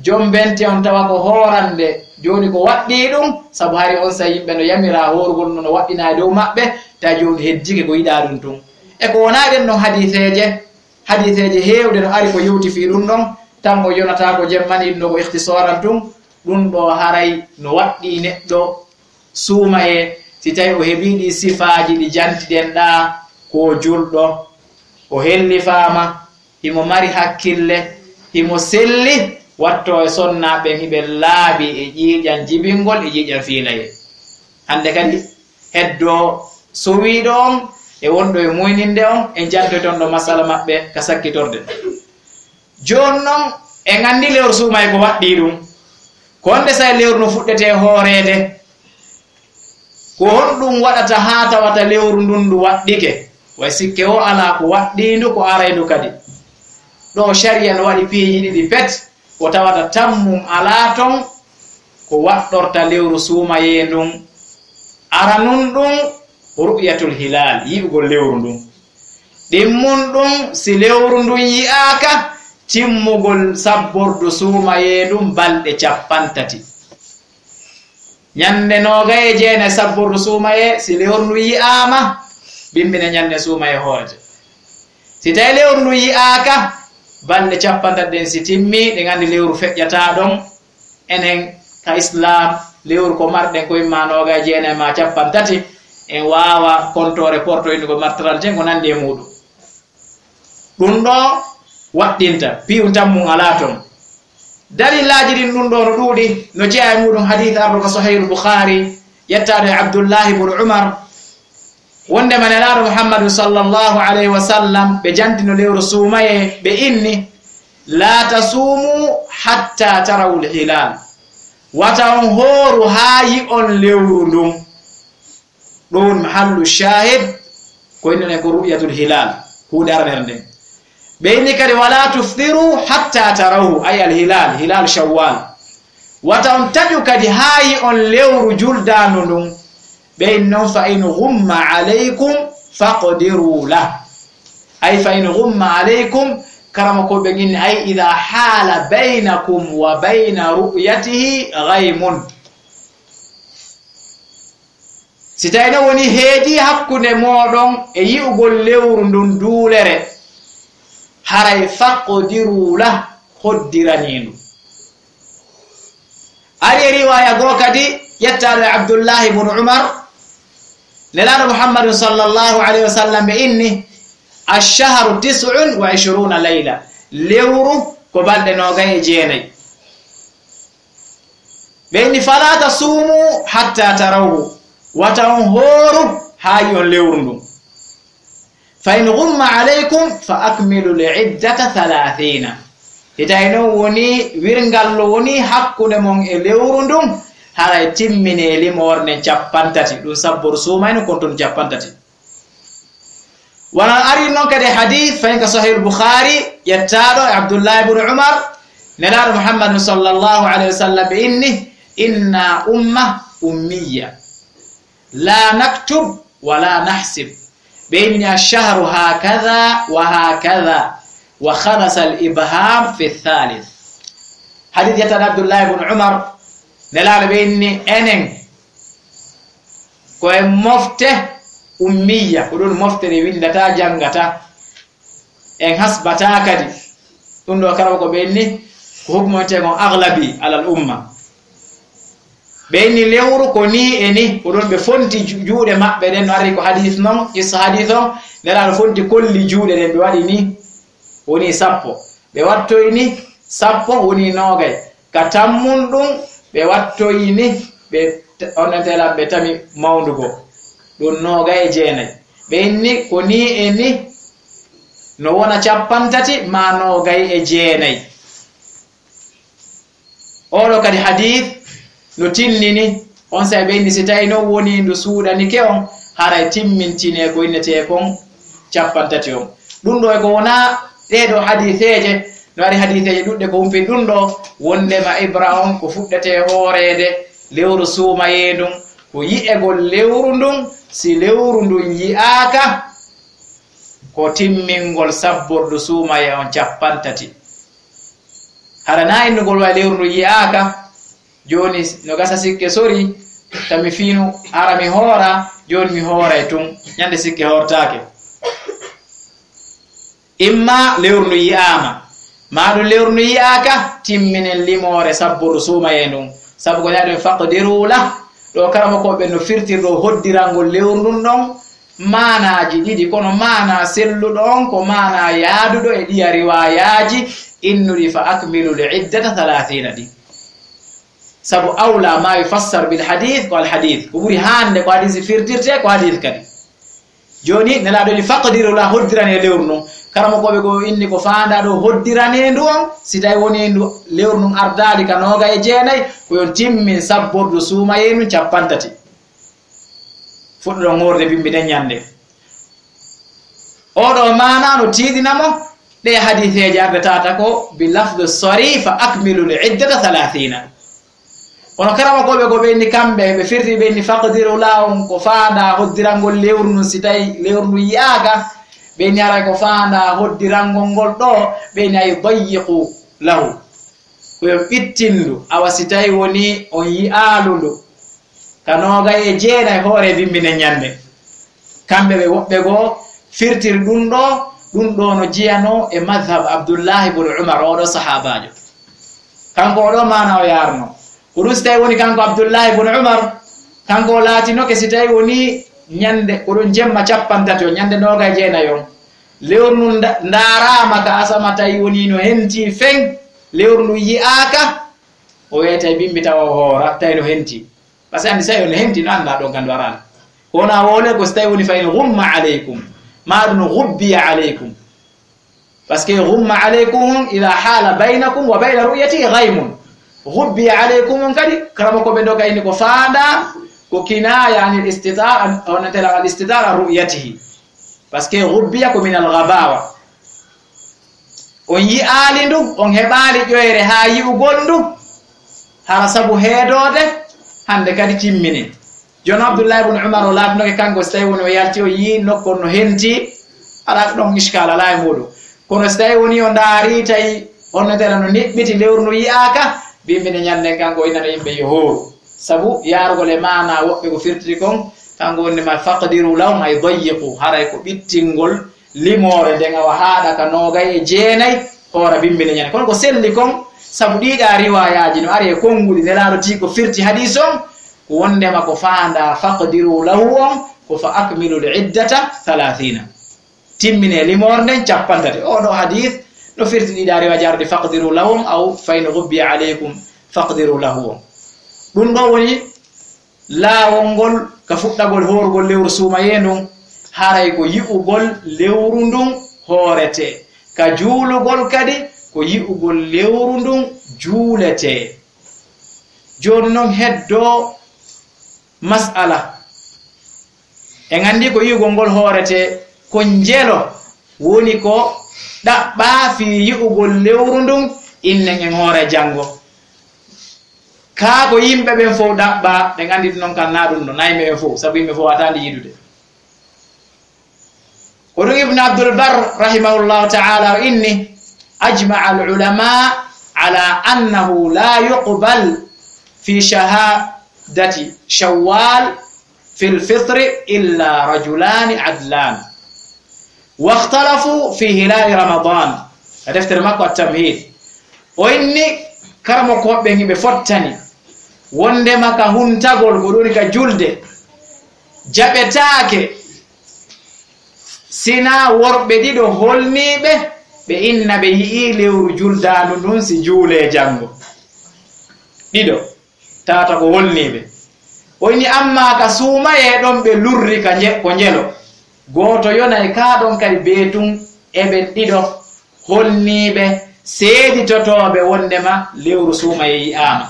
jombente on tawa ko hoorande, jooni ko waɗɗii ɗum, sabu hari on sa yimɓe no yamira hoorugol no, no waɗɗinaa e dow maɓɓe, tawi jooni heddike ko yiɗaa ɗum tun. E ko wonaa ɗen non hadiiseeje, hadiiseeje heewɗe no ari ko yewti fii ɗum ɗon, tan o yonata ko jemmani ɗum ɗo ko ikhtisaaran tun, ɗum ɗo haray no waɗɗii neɗɗo suumayee, si tawi o heɓii ɗii sifaaji ɗi jantiɗen ɗaa, ko julɗo, o hellifaama, himo mari hakkille, himo selli, wattoo e sonnaaɓe ɓen hiɓe laaɓi e ƴiiƴan jibingol e ƴiiƴan fiilayee. Hannde kadi, heddo sowiiɗo on e wonɗo e muyninde on, en jantoyton ɗo masala maɓɓe ka sakkitorde. Jooni non, en anndi lewru suumayee ko waɗɗii ɗum. Ko honde say lewru no fuɗɗetee hooreede? Ko honɗum waɗata haa tawata lewru ndun ndu waɗɗike? Way sikke o alaa ko waɗɗii ndu, ko aray ndu kadi. Ɗo sariya no waɗi piiji ɗiɗi pet, ko tawata tammum alaa ton ko waɗɗorta lewru suumayee ndun. Aranun ɗun, ru'yatul hilaal, yi'ugol lewru ndun. Ɗimmun ɗun, si lewru ndun yi'aaka, timmugol sabbordu suumayee ndun balɗe cappanɗe tati. Ñande noogay e jeenay sabbordu suumayee, si lewru ndun yi'aama, ɓimɓine ñande suumayee hoorete. Si tawi lewru ndun yi'aaka, balɗe cappanɗe tati ɗen si timmii, ɗen anndi lewru feƴƴataa ɗon. Enen ka Islaam, lewru ko marɗen ko imma noogay e jeenay maa cappanɗe tati, en waawa kontoore porto indi ko mar trente et un ko nanndi e muuɗum. Ɗum ɗo waɗɗinta, piiw tammum alaa ton. Dalillaaji ɗin ɗum ɗo no ɗuuɗi, no jeyaa e muuɗum hadiis arɗo ka Sahihul Bukhaari, yettaaɗo e Abdullaahi ibn Umar, wondema Nelaaɗo Muhammadu sallallahu alayhi wa sallam, ɓe jantino lewru suumayee, ɓe inni, "Laa tasuumu hatta tarawul hilaal." Wata on hooru haa yi'on lewru ndun. Ɗo woni mahallu shahid, ko innene ko ru'yatul hilal, huunde aranere nden. Ɓe inni kadi, "Wala tuftiru hatta tarawhu," ay al hilal, hilal Shawwal. Wata on taƴu kadi haa yi'on lewru juldaandu ndun. Ɓe inni non, "Fa in ghumma alaykum faqdiru lah." Ay fa in ghumma alaykum, karamokooɓe inni, ay idha hala baynakum wa bayna ru'yatihi ghaymun. Si tawi non woni heedii hakkunde mooɗon e yi'ugol lewru ndun duulere, haray faqdiru lah, hoddiranii ndu. Ari e riwaaya goo kadi, yettaaɗo e Abdullahi ibn Umar, Nelaaɗo Muhammadun sallallahu alayhi wa sallam ɓe inni, "Ash-shahru tis'un wa ishruna layla." Lewru ko balɗe noogay e jeenay. Ɓe inni, "Fala tasumu hatta tarawhu." Wata on hooru haa yi'on lewru ndun. "Fa in ghumma alaykum fa akmilu al-iddata thalathina." Si tawi non woni wirngallo woni hakkunde mon e lewru ndun, haray timminee limoore nden cappanɗe tati. Ɗum sabboru suumaynu kon tun cappanɗe tati. Wano ari non kadi hadith, fayin ka Sahih Bukhari, yettaaɗo e Abdullah ibn Umar, Nelaaɗo Muhammadun sallallahu alayhi wa sallam ɓe inni, "Inna umma ummiya, la naktub wa la nahsib." Ɓe inni, "Ash-shahru hakadha wa hakadha, wa khalasa al-ibham fi thalith." Hadith yettaaɗo Abdullah ibn Umar, Nelaaɗo ɓe inni, enen, ko en mofte ummiya, ko ɗum mofte ɗe winndata, janngata, en hasbata kadi. Ɗum ɗo kala ko ɓe inni, ko hukmoyte on aglabi alal umma. Ɓe inni lewru ko ni e ni, ko ɗum ɓe fonti ju-, juuɗe maɓɓe ɗen, no ari ko hadith non, qissa hadith on, Nelaaɗo fonti kolli juuɗe ɗen, ɓe waɗi ni, woni sappo. Ɓe wattoyni sappo, woni noogay. Ka tammun ɗum, ɓe wattoyni, ɓe t-, onon tela ɓe tami mawndugo. Ɗum noogay e jeenay. Ɓe inni ko ni e ni, no wona cappanɗe tati maa noogay e jeenay. Oɗo kadi hadith no tinnini, on say ɓe inni si tawi non woni ndu suuɗanike on, haray timmintine ko innetee kon cappanɗe tati on. Ɗum ɗo e ko wona ɗee ɗo hadiseeje, no ari hadiseeje ɗuɗɗe ko humpin ɗum ɗo, wondema ibra on ko fuɗɗetee hooreede lewru suumayee ndun, ko yi'egol lewru ndun, si lewru ndun yi'aaka, ko timmingol sabbordu suumayee on cappanɗe tati. Hara na innugol wa lewru ndu yi'aaka, jooni no gasa sikke sori, tami fiinu hara mi hoora, jooni mi hooray tun, ñande sikke hoortaake. Imma lewru ndu yi'aama, maa ɗum lewru ndu yi'aaka, timminen limoore sabbordu suumayee ndun. Sabu ko ñaaɗum faqdiru lah, ɗo karamokooɓe no firtirɗo hoddirangol lewru ndun ɗon, maanaaji ɗiɗi, kono maanaa selluɗo on ko maanaa yaaduɗo e ɗiya riwaayaaji innuɗi fa akmilu l iddata thalathina ɗi. Sabu awla ma yufassar bil hadith ko al hadith. Ko ɓuri haande ko hadith firtirte ko hadith kadi. Jooni, Nelaaɗo ni faqdiru lah, hoddirane lewru ndun. Karamokooɓe ko inni ko faandaa ɗo hoddirane ndu on, si tawi woni ndu lewru ndun ardaali ka nooga e jeenay, ko yon timmin sabbordu suumayee ndun cappanɗe tati. Fuɗɗoɗon ŋoorde bimbi nden ñande. Oɗo maana no tiiɗina mo, ɗe hadiseeje arde tata ko bi lafdu sari fa akmilu l iddata thalathina. Kono karamokooɓe ko ɓe inni kamɓe, ɓe firti ɓe inni faqdiru lah on ko faandaa hoddirangol lewru ndun si tawi lewru ndun yi'aaka, ɓe inni haray ko faandaa hoddirangol ngol ɗo, ɓe inni ay dayyiqu lahu. Ko yo ɓittindu, awa si tawi woni on yi'aalu ndu. Ka noogay e jeenay hoore bimmine ñande. Kamɓe ɓe woɓɓe goo firtiri ɗum ɗo, ɗum ɗo no jeyanoo e madhab Abdullahi bun Umar, oo ɗo sahaabaajo. Kanko oo ɗo maana o yaarno. Ko ɗum si tawi woni kanko Abdullahi bun Umar, kanko o laatinoke si tawi woni ñande, ko ɗum jemma cappanɗe tati on, ñande noogay e jeenay on. Lewru ndun nda-, ndaaraama ka asama tawi woni no henti feŋ, lewru ndun yi'aaka, o wiyata e bimbi tawa o hoora, tawi no henti. Parce que anndi si tawi on henti no anndaa ɗon ka ndu araani. Ko wona wole ko si tawi woni fa in ghumma alaykum, maa ɗum ghubbiya alaykum. Parce que ghumma alaykum on ila hala baynakum wa bayna ru'yatihi ghaymun. Ghubbiya alaykum on kadi, karamokooɓe ndo kayni ko faandaa, ko kinaya anil istitar, an, on tela al istitar an ru'yatihi. Parce que ghubbiya ko min al ghabawa. On yi'aali ndu, on heɓaali ƴoyre haa yi'ugol ndu, hara sabu heedoode, hande kadi timmini. Jooni Abdullahi ibn Umar o laatinoke kanko, si tawi woni o yalti, o yi'i nokku on no henti, alaa ɗon iskal, alaa e muuɗum. Kono si tawi woni o ndaari, tawi on no tela no niɓɓiti, lewru ndu yi'aaka, bimmine ñanden kanko o innano yimɓe yo hooru. Sabu yaarugol e maana woɓɓe ko firtiti kon, kanko woni ma faqdiru lahum ay dayyiqu, haray ko ɓittingol limoore nden awa haaɗa ka noogay e jeenay, hoora bimmine ñande. Kono ko selli kon, sabu ɗiiɗa riwaayaaji no ari e konnguɗi, Nelaaɗo tii ko firti hadiis on, ko wondema ko faandaa faqdiru lahu on, ko fa akmilul iddata thalathina. Timmine limoore nden cappanɗe tati. Oo ɗoo hadiis no firti ɗiiɗa riwaayaaji arde faqdiru lahum aw fa in ghubbiya alaykum faqdiru lahu on. Ɗum ɗoo woni laawol ngol ka fuɗɗagol hoorugol lewru suumayee ndun, haray ko yi'ugol lewru ndun hooretee. Ka juulugol kadi, ko yi'ugol lewru ndun juuletee. Jooni non heddoo mas'ala. En anndi ko yi'ugol ngol hooretee, ko njelo woni ko ɗaɓɓaa fii yi'ugol lewru ndun, innen en hoore janngo. Kaa ko yimɓe ɓen fow ɗaɓɓaa, ɓen anndi non kan naa ɗun no, naa yimɓe ɓen fow, sabu yimɓe fow wataandi yi'ude. Ko ɗun Ibn Abdul Barr rahimahullahu ta'ala o inni, أجمع العلماء على أنه لا يقبل في شهادة شوال في الفطر إلا رجلان عدلان، واختلفوا في هلال رمضان. A deftere makko At-Tamhid. O inni karamokooɓe ɓen hiɓe fottani wondema ka huntagol, ko ɗun ka julde, jaɓetaake sinaa worɓe ɗiɗo holniiɓe, ɓe inna ɓe yi'ii lewru juldaandu ndun si juulee janngo. Ɗiɗo, tawata ko holniiɓe. O inni, ammaa ka suumayee ɗon ɓe lurri ka nje-, ko njelo. Gooto yonay kaa ɗon kadi bee tun e ɓen ɗiɗo holniiɓe seeditotooɓe wondema lewru suumayee yi'aama.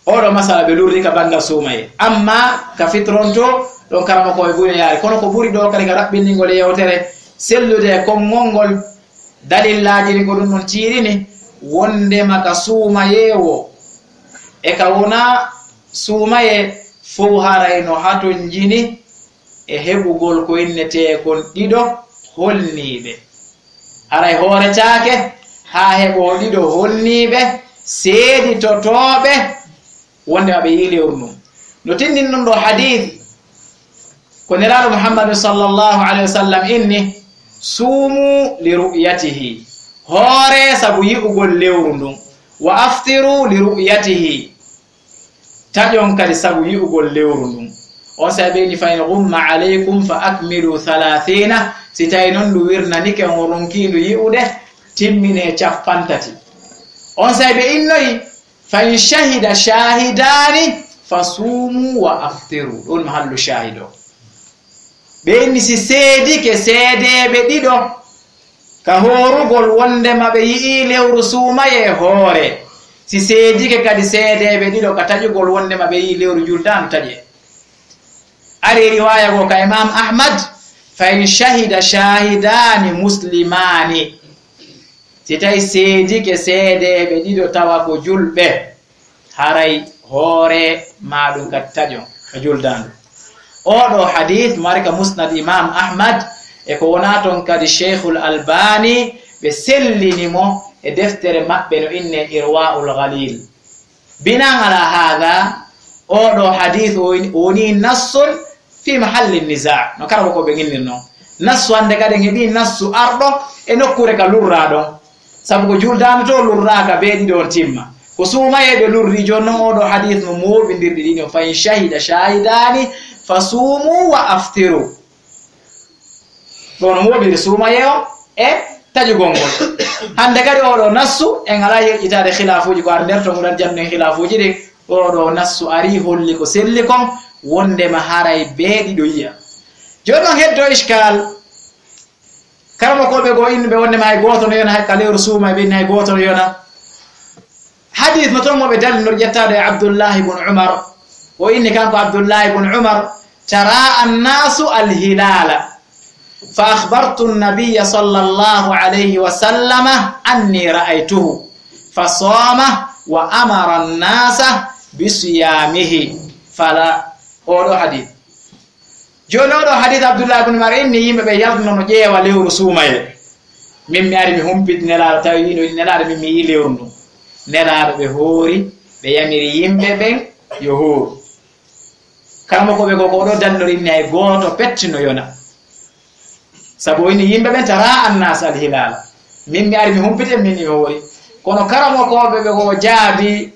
Oo ɗoo masala ɓe lurri ka banngal suumayee. Ammaa ka fitron to, ɗon karamokooɓe buy no yaari. Kono ko ɓuri ɗoo kadi ka raɓɓiningol e yewtere sellude e konngol ngol, dalillaaji ɗin ko ɗun ɗon tiiɗini, wondema ka suumayee woo e ka wonaa suumayee fow haray no hatonjini e heɓugol ko innetee kon ɗiɗo holniiɓe. Haray hooretaake haa heɓoo ɗiɗo holniiɓe, seeditotooɓe, wondema ɓe yi'ii lewru ndun. No tinndini ɗun ɗoo hadiis, ko Nelaaɗo Muhammadu sallallahu alayhi wa sallam inni, "Suumu li ru'yatihi." Hooree sabu yi'ugol lewru ndun. "Wa aftiru li ru'yatihi." Taƴon kadi sabu yi'ugol lewru ndun. Onsay ɓe inni, "Fa in ghumma alaykum fa akmilu thalathina." Si tawii non ndu wirnanike on, on ronkii ndu yi'ude, timminee cappanɗe tati. Onsay ɓe innoyi, "Fa in shahida shahidani fa suumu wa aftiru." Ɗun mahallu shahid o. Ɓe inni si seedike seedeeɓe ɗiɗo ka hoorugol wondema ɓe yi'ii lewru suumayee, hooree. Si seedike kadi seedeeɓe ɗiɗo ka taƴugol wondema ɓe yi'ii lewru juldaandu, taƴee. Ari riwaaya goo ka Imaam Ahmad, "Fa in shahida shahidani muslimani." Si tawii seedike seedeeɓe ɗiɗo tawa ko julɓe, haray hooree maa ɗun ka taƴon ka juldaandu. Oo ɗoo hadiis no ari ka Musnad Imaam Ahmad, e ko wonaa ton kadi Sheikhul Albani, ɓe sellini mo e deftere maɓɓe no innee Irwaa'ul Ghalil. Binaan alaa haadaa, oo ɗoo hadiis o woni, o wonii nassun fii mahalli nizaa, no karamokooɓe ɓen innir non. Nassu hannde kadi en heɓii nassu arɗo e nokkuure ka lurraa ɗon. Sabu ko juldaandu to lurraaka bee ɗiɗo on timma. Ko suumayee ɓe lurri, jooni non oo ɗoo hadiis no mooɓindirɗi ɗiɗi on. "Fa in shahida shahidani fa suumu wa aftiru." Ɗoo no mooɓindiri suumayee on e taƴugol ngol. Hannde kadi oo ɗoo nassu, en alaa yeƴƴitaade khilaafuuji ko ari nder ton, ɗan jannuɗen khilaafuuji ɗin. Oo ɗoo nassu arii holli ko selli kon, wondema haray bee ɗiɗo yi'a. Jooni non heddoo ishkaal. Karamokooɓe goo innuɓe wondema hay gooto no yona, hay ka lewru suumayee ɓe inni hay gooto no yona. Hadiis no ton mo ɓe dallinori ƴettaade e Abdullahi ibn Umar. O inni kanko Abdullahi ibn Umar, "Tara annaasu alhilaala, fa akhbartu nabiyya sallallahu alayhi wa sallama anni ra'aytuhu, fa saama wa amara annaasa bi siyaamihi." Fala, oo ɗoo hadiis. Jooni oo ɗoo hadiis Abdullahi ibn Umar inni yimɓe ɓe yaltino no ƴeewa lewru suumayee. Min mi ari mi humpiti Nelaaɗo, tawi wiino inni Nelaaɗo, min mi yi'ii lewru ndun. Nelaaɗo ɓe hoori, ɓe yamiri yimɓe ɓen yo hooru. Karamokooɓe goo ko oo ɗoo dallinori inni hay gooto pettino yona. Sabu o inni yimɓe ɓen tara annaas alhilaala. Min mi ari mi humpiti, min mi hoori. Kono karamokooɓe ɓe goo jaabi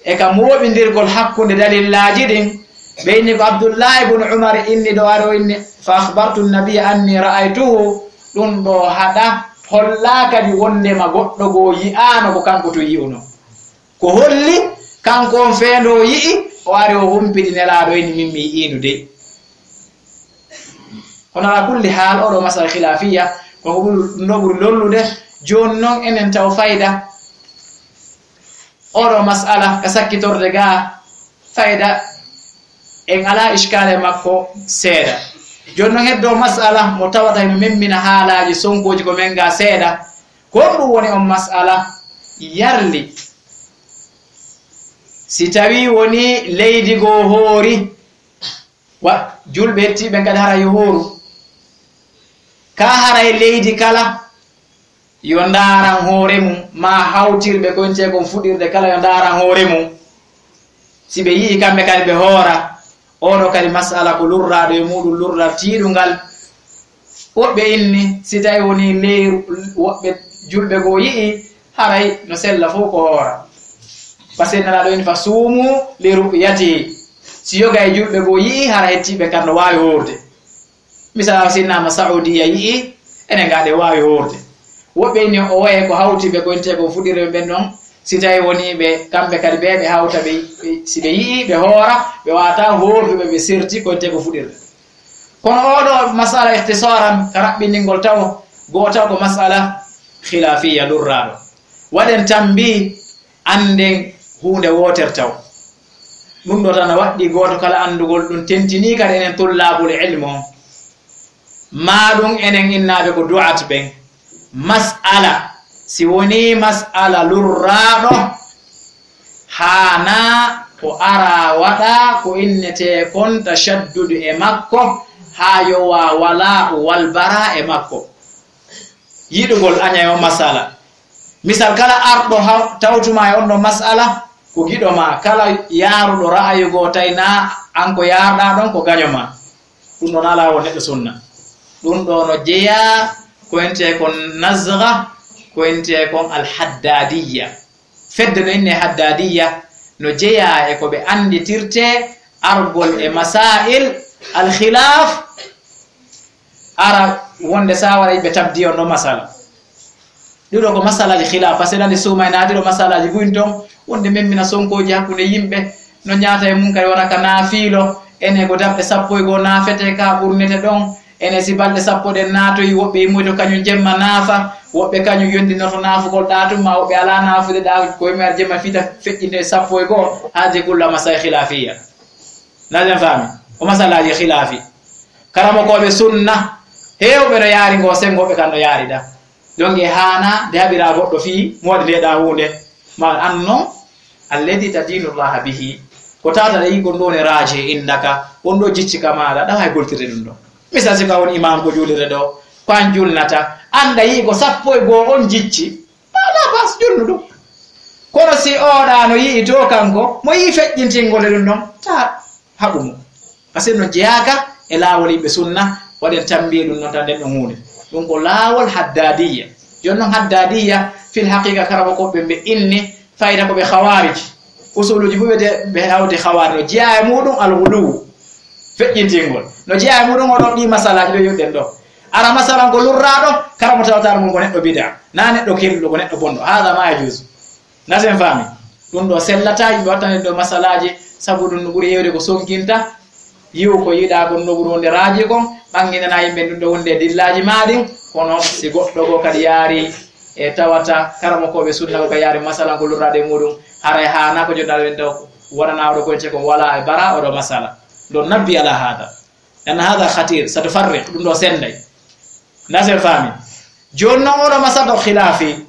e ka mooɓindirgol hakkunde dalillaaji ɗin, ɓe inni ko Abdullahi ibn Umar inni ɗoo ari o inni, "Fa akhbartu nabiyya anni ra'aytuhu", ɗun ɗoo haɗa hollaa kadi wondema goɗɗo goo yi'aano ko kanko tun yi'uno. Ko holli kanko on feendo o yi'i, o ari o humpiti Nelaaɗo inni min mi yi'ii ndu dey. Kono ala kulli haal, oo ɗoo masala khilaafiya, ko ko ɓuri, ɗun ɗoo ɓuri lollude. Jooni non enen taw fayda oo ɗoo masala ka sakkitorde gaa, fayda en alaa iskaale makko seeɗa. Jooni noon heddoo masala mo tawata ino memmina haalaaji sonkooji ko men ga seeɗa. Ko honɗum woni on masala? Yarli. Si tawii wonii leydi goo hoori, wa, julɓe hettiiɓe kadi hara yo hooru. Kaa haray leydi kala yo ndaaran hoore mum, maa hawtirɓe ko wiyetee kon fuɗirde kala yo ndaaran hoore mum. Si ɓe yi'ii kamɓe kadi ɓe hoora, oo ɗoo kadi masala ko lurraaɗo e muuɗum lurral tiiɗungal. Woɓɓe inni, si tawii wonii leyru, woɓɓe julɓe goo yi'ii, haray no sella fof ko hoora. Par ce que Nelaaɗo inni, "Fa suumu li ru'yatihi." Si yoga e julɓe goo yi'ii, hara hettiiɓe kan no waawi hoorde. Misal, si Nelaaɗo Saudiya yi'ii, enen ga ɗe waawi hoorde. Woɓɓe inni o waye ko hawti ɓe ko wiyetee ko fuɗirɓe ɓen ɗon, si tawii wonii ɓe, kamɓe kadi ɓe, ɓe hawta ɓe, ɓe, si ɓe yi'ii, ɓe hoora, ɓe waawataa hoorduɓe, ɓe serti ko wiyetee ko fuɗirde. Kono oo ɗoo masala ikhtisaran, ka raɓɓiningol taw, goo taw ko masala khilafiyya lurraaɗo. Waɗen tambi, annden huunde wootere taw. Ɗum ɗoo tan no waɗɗii gooto kala anndugol ɗum, tentinii kadi enen tullaabul ilmi on. Maa ɗum enen innaaɓe ko du'at ɓen. Masala, si wonii masala lurraaɗo, haanaa ko ara waɗa ko innetee kon tashaddudu e makko, haa yowaa walaa walbara e makko. Yiɗugol añay on masala. Misal, kala arɗo haw-, tawtumaa e on ɗon masala, ko giɗo maa. Kala yaaruɗo ra'ayu goo tawi naa an ko yaarɗaa ɗon, ko gaño maa. Ɗum ɗon alaa won neɗɗo sunna. Ɗum ɗoo no jeyaa ko wiyetee kon nazga, ko wiyetee kon al-haddadiyya. Fedde no innee haddadiyya, no jeyaa e ko ɓe annditirtee argol e masaa'il al-khilaaf, ara wonde sa waray ɓe tabdi on ɗo masala. Ɗiɗo ko masalaaji khilaaf, par ce que ɗan ɗi suuma e naatiro masalaaji buy ton, wonde memmina sonkooji hakkunde yimɓe, no ñaata e mum kadi wona ka naafiilo, ene ko darɗe sappo e goo naafete ka ɓurnete ɗon, ene si balɗe sappo ɗen naatoyi, woɓɓe immoyto kañum jemma naafa, woɓɓe kañum yondinoto naafugol ɗaa tun, ma woɓɓe alaa naafude ɗaa, ko yimɓe ar jemma fita feƴƴinde e sappo e goo, haaji kulla masay khilaafiya. Naden faami? O masalaaji khilaafi. Karamokooɓe sunna, heewɓe no yaari ngoo senngo, ɓe kan no yaari ɗaa. Donc, e haanaa nde haɓiraa goɗɗo fii mo waɗi nde ɗaa huunde, ma an non, alladi tadiinu Llaha bihi, ko tawata ɗa yi'i kon ɗoo ne raaji indaka, on ɗoo jicci ka maaɗa, ɗa waawi goltirde ɗum ɗoo. Misal, si ko a woni imaam ko juulirde ɗoo, ko an julnata, an ɗa yi'i ko sappo e goo on jicci, ala bas, julnu ɗum. Kono si oo ɗaa no yi'i to kanko, mo yi'i feƴƴintingol e ɗum ɗon, taa haɓu mo. Par ce que no jeyaaka e laawol yimɓe sunna, waɗen tambiye ɗum ɗon tan nden ɗon huunde. Ɗum ko laawol haddadiyya. Jooni non haddadiyya, fil haqiqa, karamokooɓe ɓe inni, fayda ko ɓe khawarij. Usuluuji fof ɓe de-, ɓe hawti khawarij. No jeyaa e muuɗum al-ghuluw, feƴƴintingol. No jeyaa e muuɗum o ɗon ɗii masalaaji ɗo yonɗen ɗo. Ara masalan ko lurraaɗo, kala mo tawata ɗum ko neɗɗo bida. Na neɗɗo kelɗo, ko neɗɗo bonɗo. Hada ma yajuuzu. Nasen faami? Ɗum ɗo sellataa, yimɓe wattande ɗo masalaaji, sabu ɗum no ɓuri heewde ko sonkinta. Yi'u ko yiɗaa kon no ɓuri wonde raaji kon, ɓannginanaa yimɓe ɗum ɗo wonde e dillaaji maa ɗin. Kono si goɗɗo goo kadi yaari e tawata karamokooɓe sunna ko ka yaari masalan ko lurraaɗo e muuɗum, haray haanaa ko jonɗaaɗo ɓen taw waɗanaa oɗo koyte ko walaa e bara oɗo masala. Ɗo nabbi ala hada. Anna hada khatir, satufarriq, ɗum ɗo sennday. Nasen faami? Jooni non oɗo masala o khilaafi.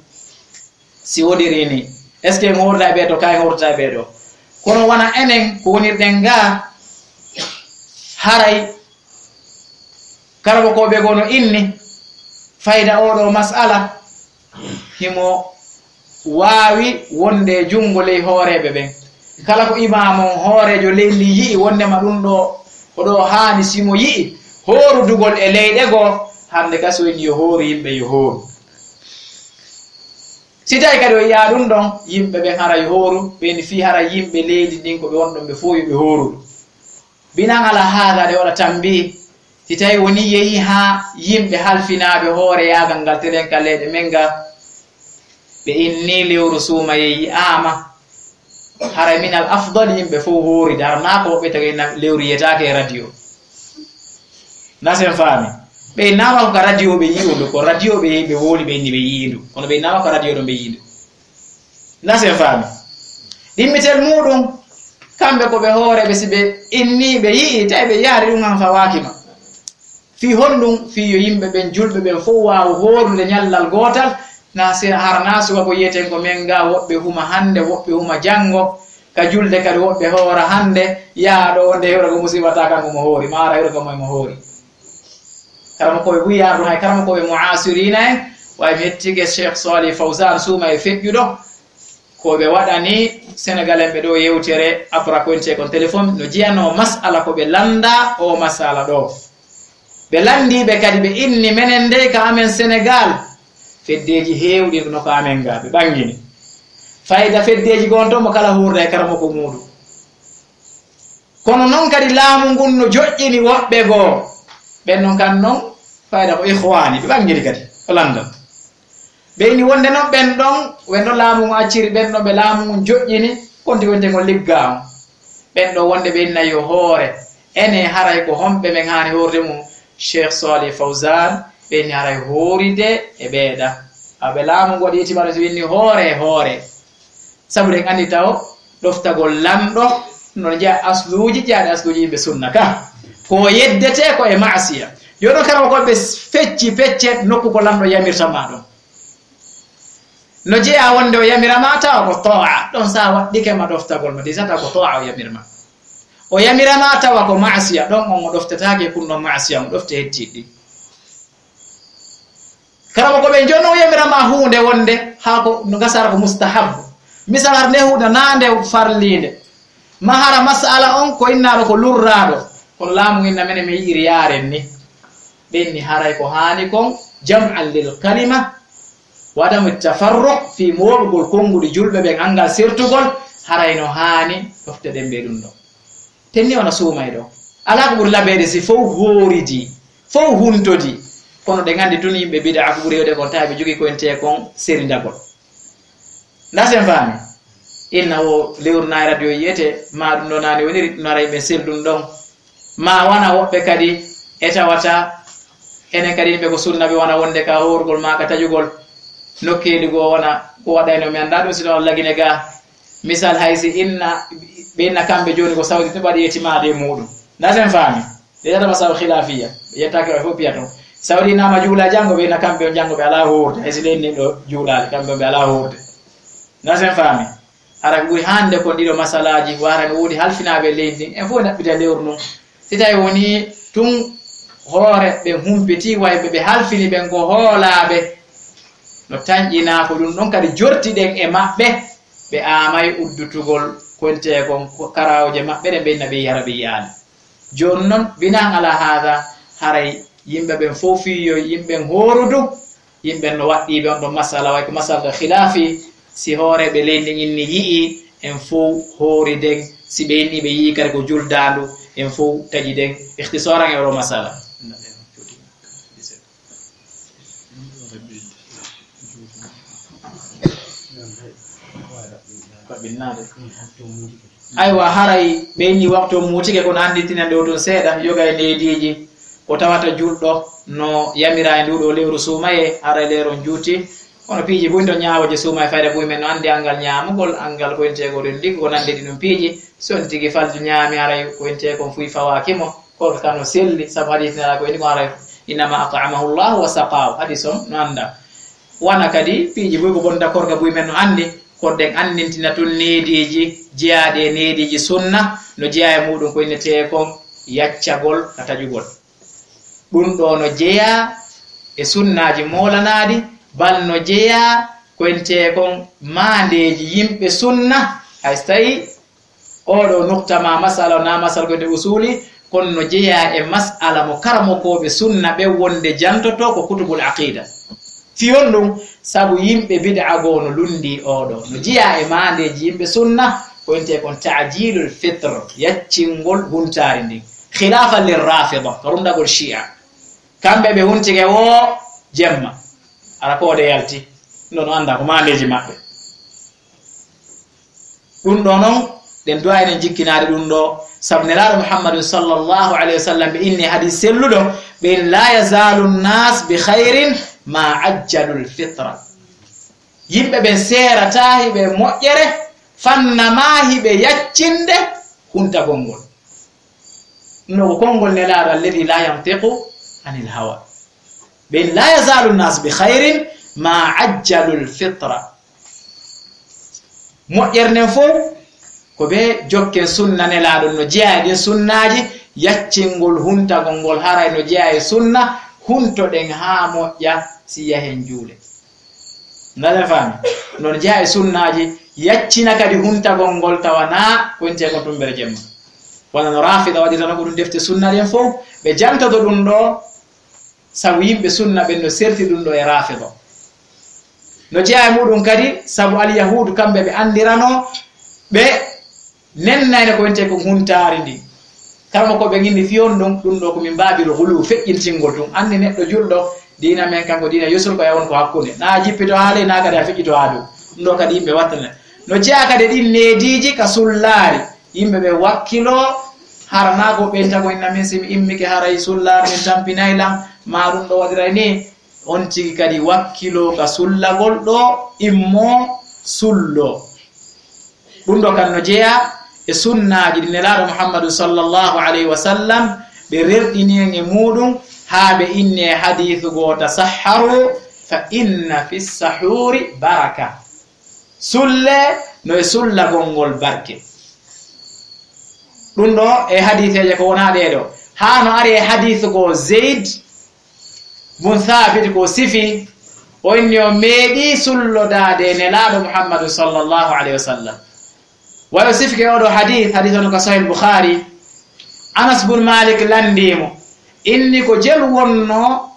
Si woniri ni, est-ce que en hoorda e ɓee ɗo, ka en hoorda e ɓee ɗo? Kono wona enen ko wonirɗen ga, haray karamokooɓe goo no inni, fayda oo ɗoo masala, himo waawi wonde e junngo ley hooreeɓe ɓen. Kala ko imaam on hooreejo leydi ndin yi'i wondema ɗum ɗo, ko ɗo haani, si mo yi'i hoorudugol e leyɗe goo, hannde ka so en yo hooru yimɓe yo hooru. Si tawi kadi o yi'aa ɗum ɗon, yimɓe ɓen hara yo hooru, ɓen fii hara yimɓe leydi ndin ko ɓe won ɗon ɓe fof yo ɓe hooru. Binan ala haada ɗe waɗa tambi, si tawi woni yehi haa yimɓe halfinaaɓe hooreyaagal ngal telen ka leyɗe men ga, ɓe inni lewru suumaye yi'aama, haray minal afdal yimɓe fof hoori, darnaa ko woɓɓe tagi na lewru yiyetaake e radio. Na sen faami? Ɓe innama ko ka radio ɓe yi'undu, ko radio ɓe, ɓe woni ɓe inni ɓe yi'indu. Kono ɓe innama ko ka radio ɗon ɓe yi'indu. Na sen faami? Ɗimmitel muuɗum, Kamɓe ko ɓe hooreeɓe, si ɓe innii, ɓe yi'ii, tawi ɓe yaari ɗum han fawaaki ma. Fii honɗum? Fii yo yimɓe ɓen, julɓe ɓen fow waawu hoorude ñallal gootal, na si hara na suka ko yi'eten ko men ga, woɓɓe huma hannde, woɓɓe huma janngo, ka julde kadi woɓɓe hoora hannde, yaha ɗo wonde hewra ko musiba ta kanko mo hoori, maa hara hewra ko mo hoori. Karamokooɓe buy yaardu hay karamokooɓe mu'asiriina en, way mi hettike Cheikh Salih Fawzan Suuma e feƴƴuɗo, ko ɓe waɗani Senegal en ɓe ɗo yewtere abra ko entee kon téléphone, no jeyanoo masala ko ɓe lannda o masala ɗo. Ɓe lanndiiɓe kadi ɓe inni menen dey ka amen Senegal, feddeeji heewɗi no ka amen ga, ɓe ɓanngini. Fayda feddeeji goo on ton mo kala hurda e karamoko muuɗum. Kono non kadi laamu ngun no joƴƴini woɓɓe goo. Ɓen non kan non, fayda ko ihwaani, ɓe ɓanngini kadi, o lannda. Ɓe inni wonde non ɓen ɗon, ɓen ɗon laamu ngun acciri, ɓen ɗon ɓe laamu ngun joƴƴini, konti wonte ngol ligga on. Ɓen ɗon wonde ɓe inna yo hoore. Ene haray ko homɓe men haani hoorde mum? Cheikh Salih Fawzan, ɓe inni haray hooride e ɓeeɗa. A ɓe laamu ngu waɗi yetimaɗo si ɓe inni hoore, hoore. Sabu ɗen anndi taw ɗoftagol lanɗo no jeya asluuji, jeyaaɗi asluuji yimɓe sunna ka. Ko yeddetee ko e maasiya. Yo ɗon kala ko ɓe fecci pecce nokku ko lanɗo yamirta ma ɗon. No jeyaa wonde o yamira ma tawa ko to'a. Ɗon sa waɗɗike ma ɗoftagol ma, disa tawa ko to'a o yamir ma. O yamira ma tawa ko maasiya, ɗon on o ɗoftataake kun ɗon maasiya, on ɗofte hettiiɗi. Karamoko ɓe jooni o yamira ma huunde wonde haa ko no gasara ko mustahabu. Misal har nde huunde naa nde farliinde. Ma hara masala on ko innaaɗo ko lurraaɗo. Kono laamu inna menen mi yi'iri yaaren ni. Ɓen ni haray ko haani kon jam'an lil kalima. Wa adamu tafarruq fii mooɓugol konnguɗi julɓe ɓen anngal sirtugol. Haray no haani ɗofte ɗen ɓe ɗum ɗo. Tenni wona suumay ɗo. Alaa ko ɓuri labeede si fow hooridii, fow huntodii. Kono ɗe nganndi tun yimɓe bida ko ɓuri hewde kon tawi ɓe jogii ko entee kon serindagol. Ndasen faami? Inna wo lewru nayi radio yiyete, ma ɗum ɗo nani woniri, ɗum ara yimɓe sel ɗum ɗon. Ma wana woɓɓe kadi e tawata, enen kadi yimɓe ko sunna ɓe wona wonde ka hoorugol ma ka tajugol. Nokkeeli goo wona ko waɗayno mi annda ɗum si ɗon lagine ga. Misal hay si inna, ɓe inna kamɓe jooni ko Saudi ɗum waɗi yetimaade e muuɗum. Ndasen faami? Ɗe yiyata masala khilafiya, ɓe yettaaki o fof piya toon. Sawri nama juula janngo, ɓe na kamɓe on janngo ɓe alaa hoorde, hay si ɓe inni ɗo juulaali, kamɓe on ɓe alaa hoorde. Ndasen faami? Hara ko ɓuri hannde kon ɗiɗo masalaaji, ko hara no woodi halfinaaɓe leydi ndin, en fof en ɗaɓɓita lewru ndun. Si tawi woni tun hoore ɓe humpiti, wayɓe ɓe halfini ɓen ko hoolaaɓe, no tanƴinaa ko ɗum ɗon kadi jortiɗen e maɓɓe, ɓe aamay uddutugol kontee kon ko karaawooje maɓɓe ɗen, ɓe inna ɓe yara ɓe yiyaali. Jooni non, binaan alaa haada, haray yimɓe ɓen fof fii yo yimɓe ɓen hoorudu, yimɓe ɓen no waɗɗii ɓe on ɗon masala, way ko masala ɗo khilaafi, si hooreeɓe leydi ndin inni yi'ii, en fof hooriden, si ɓe inni ɓe yi'ii kadi ko juldaandu, en fof taƴiden, ikhtisaaran e oo ɗoo masala. Aywa, haray ɓe inni waktu on muutike, kono annditinen ɗo tun seeɗa, yoga e neediiji, ko tawata julɗo no yamira e nduu ɗoo lewru suumayee, haray leer on juuti. Kono piiji buy to ñaawooje suumayee fayda buy men no anndi anngal ñaamugol, anngal ko intee ko renndi, ko nanndi ɗi ɗum piiji. Si on tigi falju ñaami, haray ko intee kon fuy fawaaki mo. Korka kan no selli, sabu hadiis Nelaaɗo ko inni ko haray, "Innama at'amahu Allahu wa saqaahu." Hadiis on no annda. Wana kadi piiji buy ko bonta korka buy men no anndi, kono ɗen anndintina tun neediiji jeyaaɗi e neediiji sunna, no jeyaa e muuɗum ko innetee kon yaccagol ka taƴugol. Ɗum ɗoo no jeyaa e sunnaaji moolanaaɗi, bal no jeyaa ko entee kon maandeeji yimɓe sunna, hay so tawii Oo ɗoo nukta ma masala, na masala ko nde usuli, kono no jeyaa e masala mo karamokooɓe sunna ɓen wonde jantotoo ko kutubul aqida. Fii honɗum? Sabu yimɓe bid'a goo no lunndii oo ɗoo. No jeyaa e maandeeji yimɓe sunna, ko entee kon ta'jilul fitr, yaccingol huntaari ndin. Khilafan lir rafida, ko runndagol shi'a. Kamɓe ɓe huntike woo jemma. Hara koode yalti. Ɗum ɗoo no anndaa ko maandeeji maɓɓe. Ɗum ɗoo non, ɗen duwaa eɗen jikkinaade ɗum ɗoo, sabu Nelaaɗo Muhammadun sallallahu alayhi wa sallam, ɓe inni hadiis selluɗo, ɓe inni, "La yazaalu nnaas bi khayrin ma ajjalul fitra." Yimɓe ɓen seerataa hiɓe moƴƴere, fanna maa hiɓe yaccinde huntagol ngol. No ko konngol Nelaaɗo, alladi la yantiqu anil hawa. Ɓen, la yazalu nnas bi khairin ma ajjalul fitra. Moƴƴere nden fof ko ɓe jokken sunna Nelaaɗo, no jeyaa e ɗin sunnaaji, yaccingol huntagol ngol haray no jeyaa e sunna, huntoɗen haa moƴƴa si yahen juule. Ndaɗen faami? No jeyaa e sunnaaji, yaccina kadi huntagol ngol tawa naa ko wiyetee kon tumbere jemma. Wano no Raafida waɗirta non ko ɗum defte sunna ɗen fof, ɓe jantoto ɗum ɗoo, sabu yimɓe sunna ɓen no serti ɗum ɗoo e Raafida. No jeyaa e muɗum kadi, sabu Alyahuudu kamɓe ɓe anndirano ɓe nennayno ko wiyetee ko huntaari ndin. Kala mo ko ɓe nginndi fii honɗun, ɗum ɗoo ko min baabil ghuluw, feƴƴintingol tun. Anndi neɗɗo julɗo, diina men kan ko diina yusru, ko yawon ko hakkunde. Naa jippito haa ley, naa kadi a feƴƴito haa dow. Ɗum ɗoo kadi yimɓe wattana. No jeyaa kadi e ɗin neediiji ka sullaari. Yimɓe ɓe wakkiloo, hara naa ko ɓeytagol inna min si mi immike haray sullaari ndin tampinay lan, maa ɗum ɗoo waɗiray nii. On tigi kadi wakkiloo ka sullagol ɗoo, immoo sulloo. Ɗum ɗoo kan no jeyaa e sunnaaji ɗi Nelaaɗo Muhammadu sallallahu alayhi wa sallam, ɓe rerɗini en e muuɗum, haa ɓe inni e hadiisu goo, tasahharu fa inna fi sahuri baraka. Sullee no e sullagol ngol barke. Ɗum ɗoo e hadiiseeje ko wonaa ɗee ɗoo. Haa no ari e hadiisu goo Zeyd bun Saabit ko sifi, o inni o meeɗii sullodaade e Nelaaɗo Muhammadu sallallahu alayhi wa sallam. Wa o sifike oo ɗoo hadiis, hadiis on ko Sahih Bukhari. Anas bun Malik lanndii mo, inni ko jelu wonnoo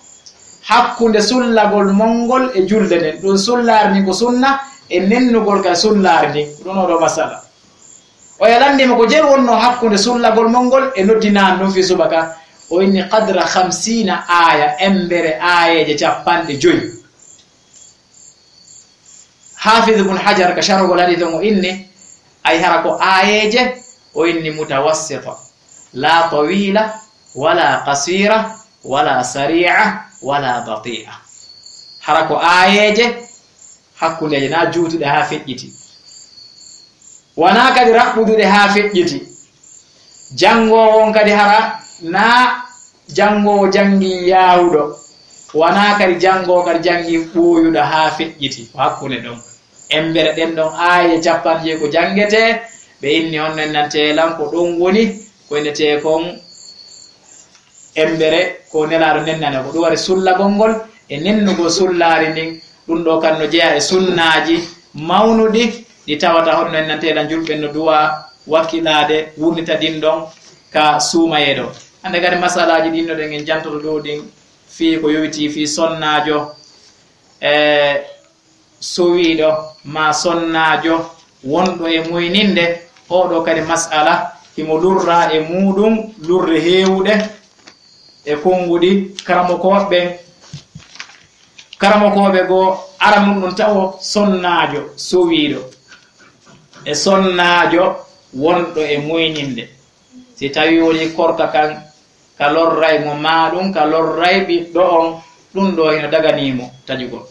hakkunde sullagol mon ngol e julde nden. Ɗum sullaari ndin ko sunna, e nennugol ka sullaari ndin. Ko ɗum oo ɗoo masala. Oya lanndii mo ko jelu wonnoo hakkunde sullagol mon ngol e noddinaandu ndun fii subaka. O inni qadra khamsina aaya, embere aayeeje cappanɗe joy. Haafid ibn Hajar ka sharhugol hadiis on o inni, ay hara ko aayeeje, o inni mutawassita, la tawila, wala qasira, wala sari'a, wala bati'a. Hara ko aayeeje hakkundeeje, naa juutuɗe haa feƴƴiti. Wanaa kadi raɓɓuduɗe haa feƴƴiti. Janngoowo on kadi hara naa janngoowo janngin yaawuɗo. Wanaa kadi janngoowo kadi janngin ɓooyuɗo haa feƴƴiti. Ko hakkunde ɗon. Embere ɗen ɗon aaye cappanɗe joy ko janngetee, ɓe inni honno en nantee lan ko ɗon woni, ko innetee kon embere ko Nelaaɗo nennane, ko ɗum wari sullagol ngol e nennugol sullaari ndin. Ɗum ɗoo kan no jeyaa e sunnaaji mawnuɗi ɗi tawata honno en nantee lan julɓe no duwaa wakkilaade wurnita ɗin ɗon ka suumayee ɗoo. Hannde kadi masalaaji ɗin no ɗen en jantoto ɗoo ɗin fii ko yowitii fii sonnaajo, e sowiiɗo maa sonnaajo wonɗo e muyninde, oo ɗoo kadi masala himo lurraa e muuɗum lurre heewuɗe e konnguɗi karamokooɓe ɓen. Karamokooɓe goo ara mun ɗum tawo sonnaajo sowiiɗo e sonnaajo wonɗo e muyninde. Si tawii wonii korka kan ka lorray mo maa ɗum ka lorray ɓiɗɗo on, ɗum ɗoo hino daganii mo taƴugol.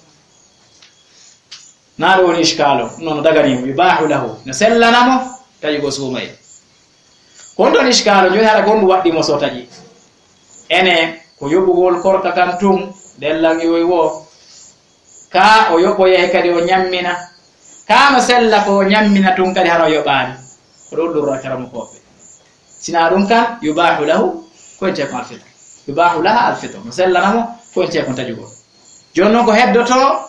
Naa ɗum woni iskaalu, ɗum ɗoo no daganii mo, yubaahu lahu, no sellana mo taƴugol suumayee. Ko ɗum ɗon iskaalu, jooni hara ko honɗum waɗɗii mo so taƴi? Ene ko yoɓugol korka kan tun, ɗen lan iwoy woo. Kaa o yoɓoyay kadi o ñammina. Kaa no sella ko o ñammina tun kadi hara o yoɓaali. Ko ɗum lurra karamokooɓe. Sinaa ɗum kan, yubaahu lahu, ko wiyetee kon alfitr. Yubaahu laha alfitr. No sellana mo, ko wiyetee kon taƴugol. Jooni non ko heddotoo,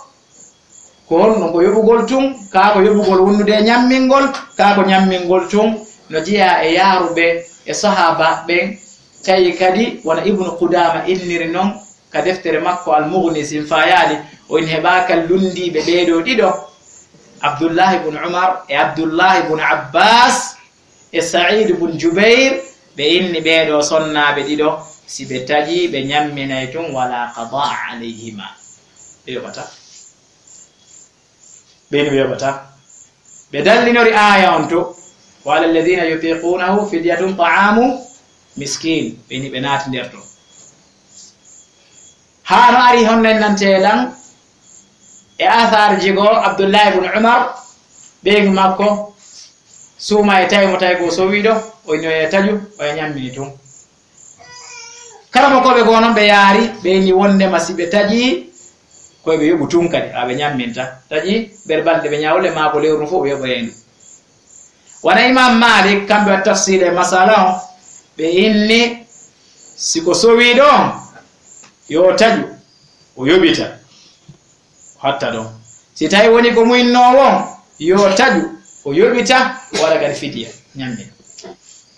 ko honɗum? Ko yoɓugol tun, kaa ko yoɓugol wondude e ñammingol, kaa ko ñammingol tun, no jeyaa e yaaruɓe e sahaabaaɓe ɓen, tawi kadi wona Ibnu Qudaama inniri non, ka deftere makko Al-Mughni, si mi faayaali, o inni heɓaaka lunndiiɓe ɓee ɗoo ɗiɗo, Abdullahi bun Umar e Abdullahi bun Abbas e Sa'iid bun Jubayr, ɓe inni ɓee ɗoo sonnaaɓe ɗiɗo, si ɓe taƴii, ɓe ñamminay tun, wala qadaa alayhima. Ɓe yoɓataa. Ɓe ni ɓe yoɓataa. Ɓe dallinori aaya on to, wa ala alladhina yutiqunahu fidyatun ta'amu miskin. Ɓe ni ɓe naati nder to. Haa no ari honno en nantee lan e atharji goo Abdullahi ibn Umar, ɓeyngu makko, Suuma e tawi mo tawi ko sowiiɗo, o ino e taƴu, o e ñammini tun. Kala mo koɓe goo noon ɓe yaari, ɓe inni wondema si ɓe taƴii, koye ɓe yoɓu tun kadi, haa ɓe ñamminta. Taƴii, ɓer balɗe ɓe ñaawle maa ko lewru fof ɓe yoɓa heendu. Wona Imam Malik, kamɓe waɗi tafsir e masala on, ɓe inni si ko sowiiɗo on, yo taƴu, o yoɓita. O hatta ɗon. Si tawi woni ko muyinnoowo on, yo taƴu, o yoɓita, o waɗa kadi fidiya, ñammina.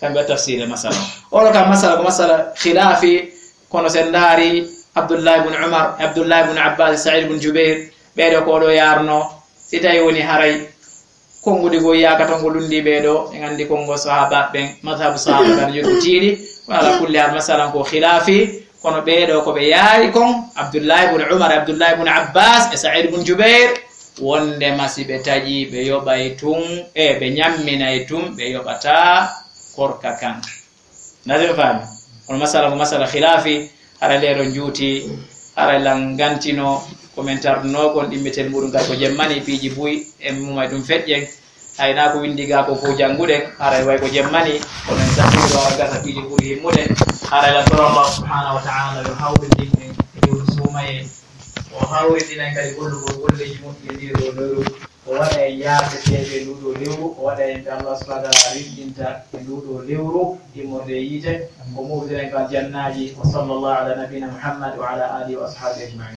Kamɓe tafsir e masala. Oɗo kam masala ko masala khilaafi, kono sen ndaari Abdullah ibn Umar, Abdullah ibn Abbas, Sa'id ibn Jubair, ɓeeɗo ko oɗo yaarno. Si tawi woni haray konguɗi goo yaaka ton ko lundi ɓeeɗo, en anndi kongo sahaaba ɓen, madhabu sahaaba kan yoɓu tiiɗi, kono ala kulli hal masalan ko khilaafi, kono ɓeeɗo ko ɓe yaari kon, Abdullah ibn Umar, Abdullah ibn Abbas e Sa'id ibn Jubair, wondema si ɓe taƴii ɓe yoɓay tun, e ɓe ñamminay tun, ɓe yoɓata korka kan. Ndaade mi faami? Kono masala ko masala khilaafi, hara leero juuti, hara lan gantino, ko men tardunoo kon ɗimmitel muɗum kadi ko jemmani, piiji buy, en mumay ɗum feƴƴen. Hay naa ko winndi gaa ko fof jannguɗen, haray way ko jemmani, kono en saɗɗiiɗo hara gasa piiji ɓuri himmude, haray la toro Allah subhanahu wa ta'ala yo hawrindin en e lewru suumayee, o hawrindina en kadi gollugol golleeji moƴƴi e ndii ɗoo lewru, o waɗa en yaabeteeɓe e nduu ɗoo lewru, o waɗa en ɓe Allah subhanahu wa ta'ala rinɗinta e nduu ɗoo lewru immorde e yiite, o mofdira en ko aljannaaji. Wa sallallahu ala nabiyina Muhammad wa ala alihi wa ashabihi ajma'in.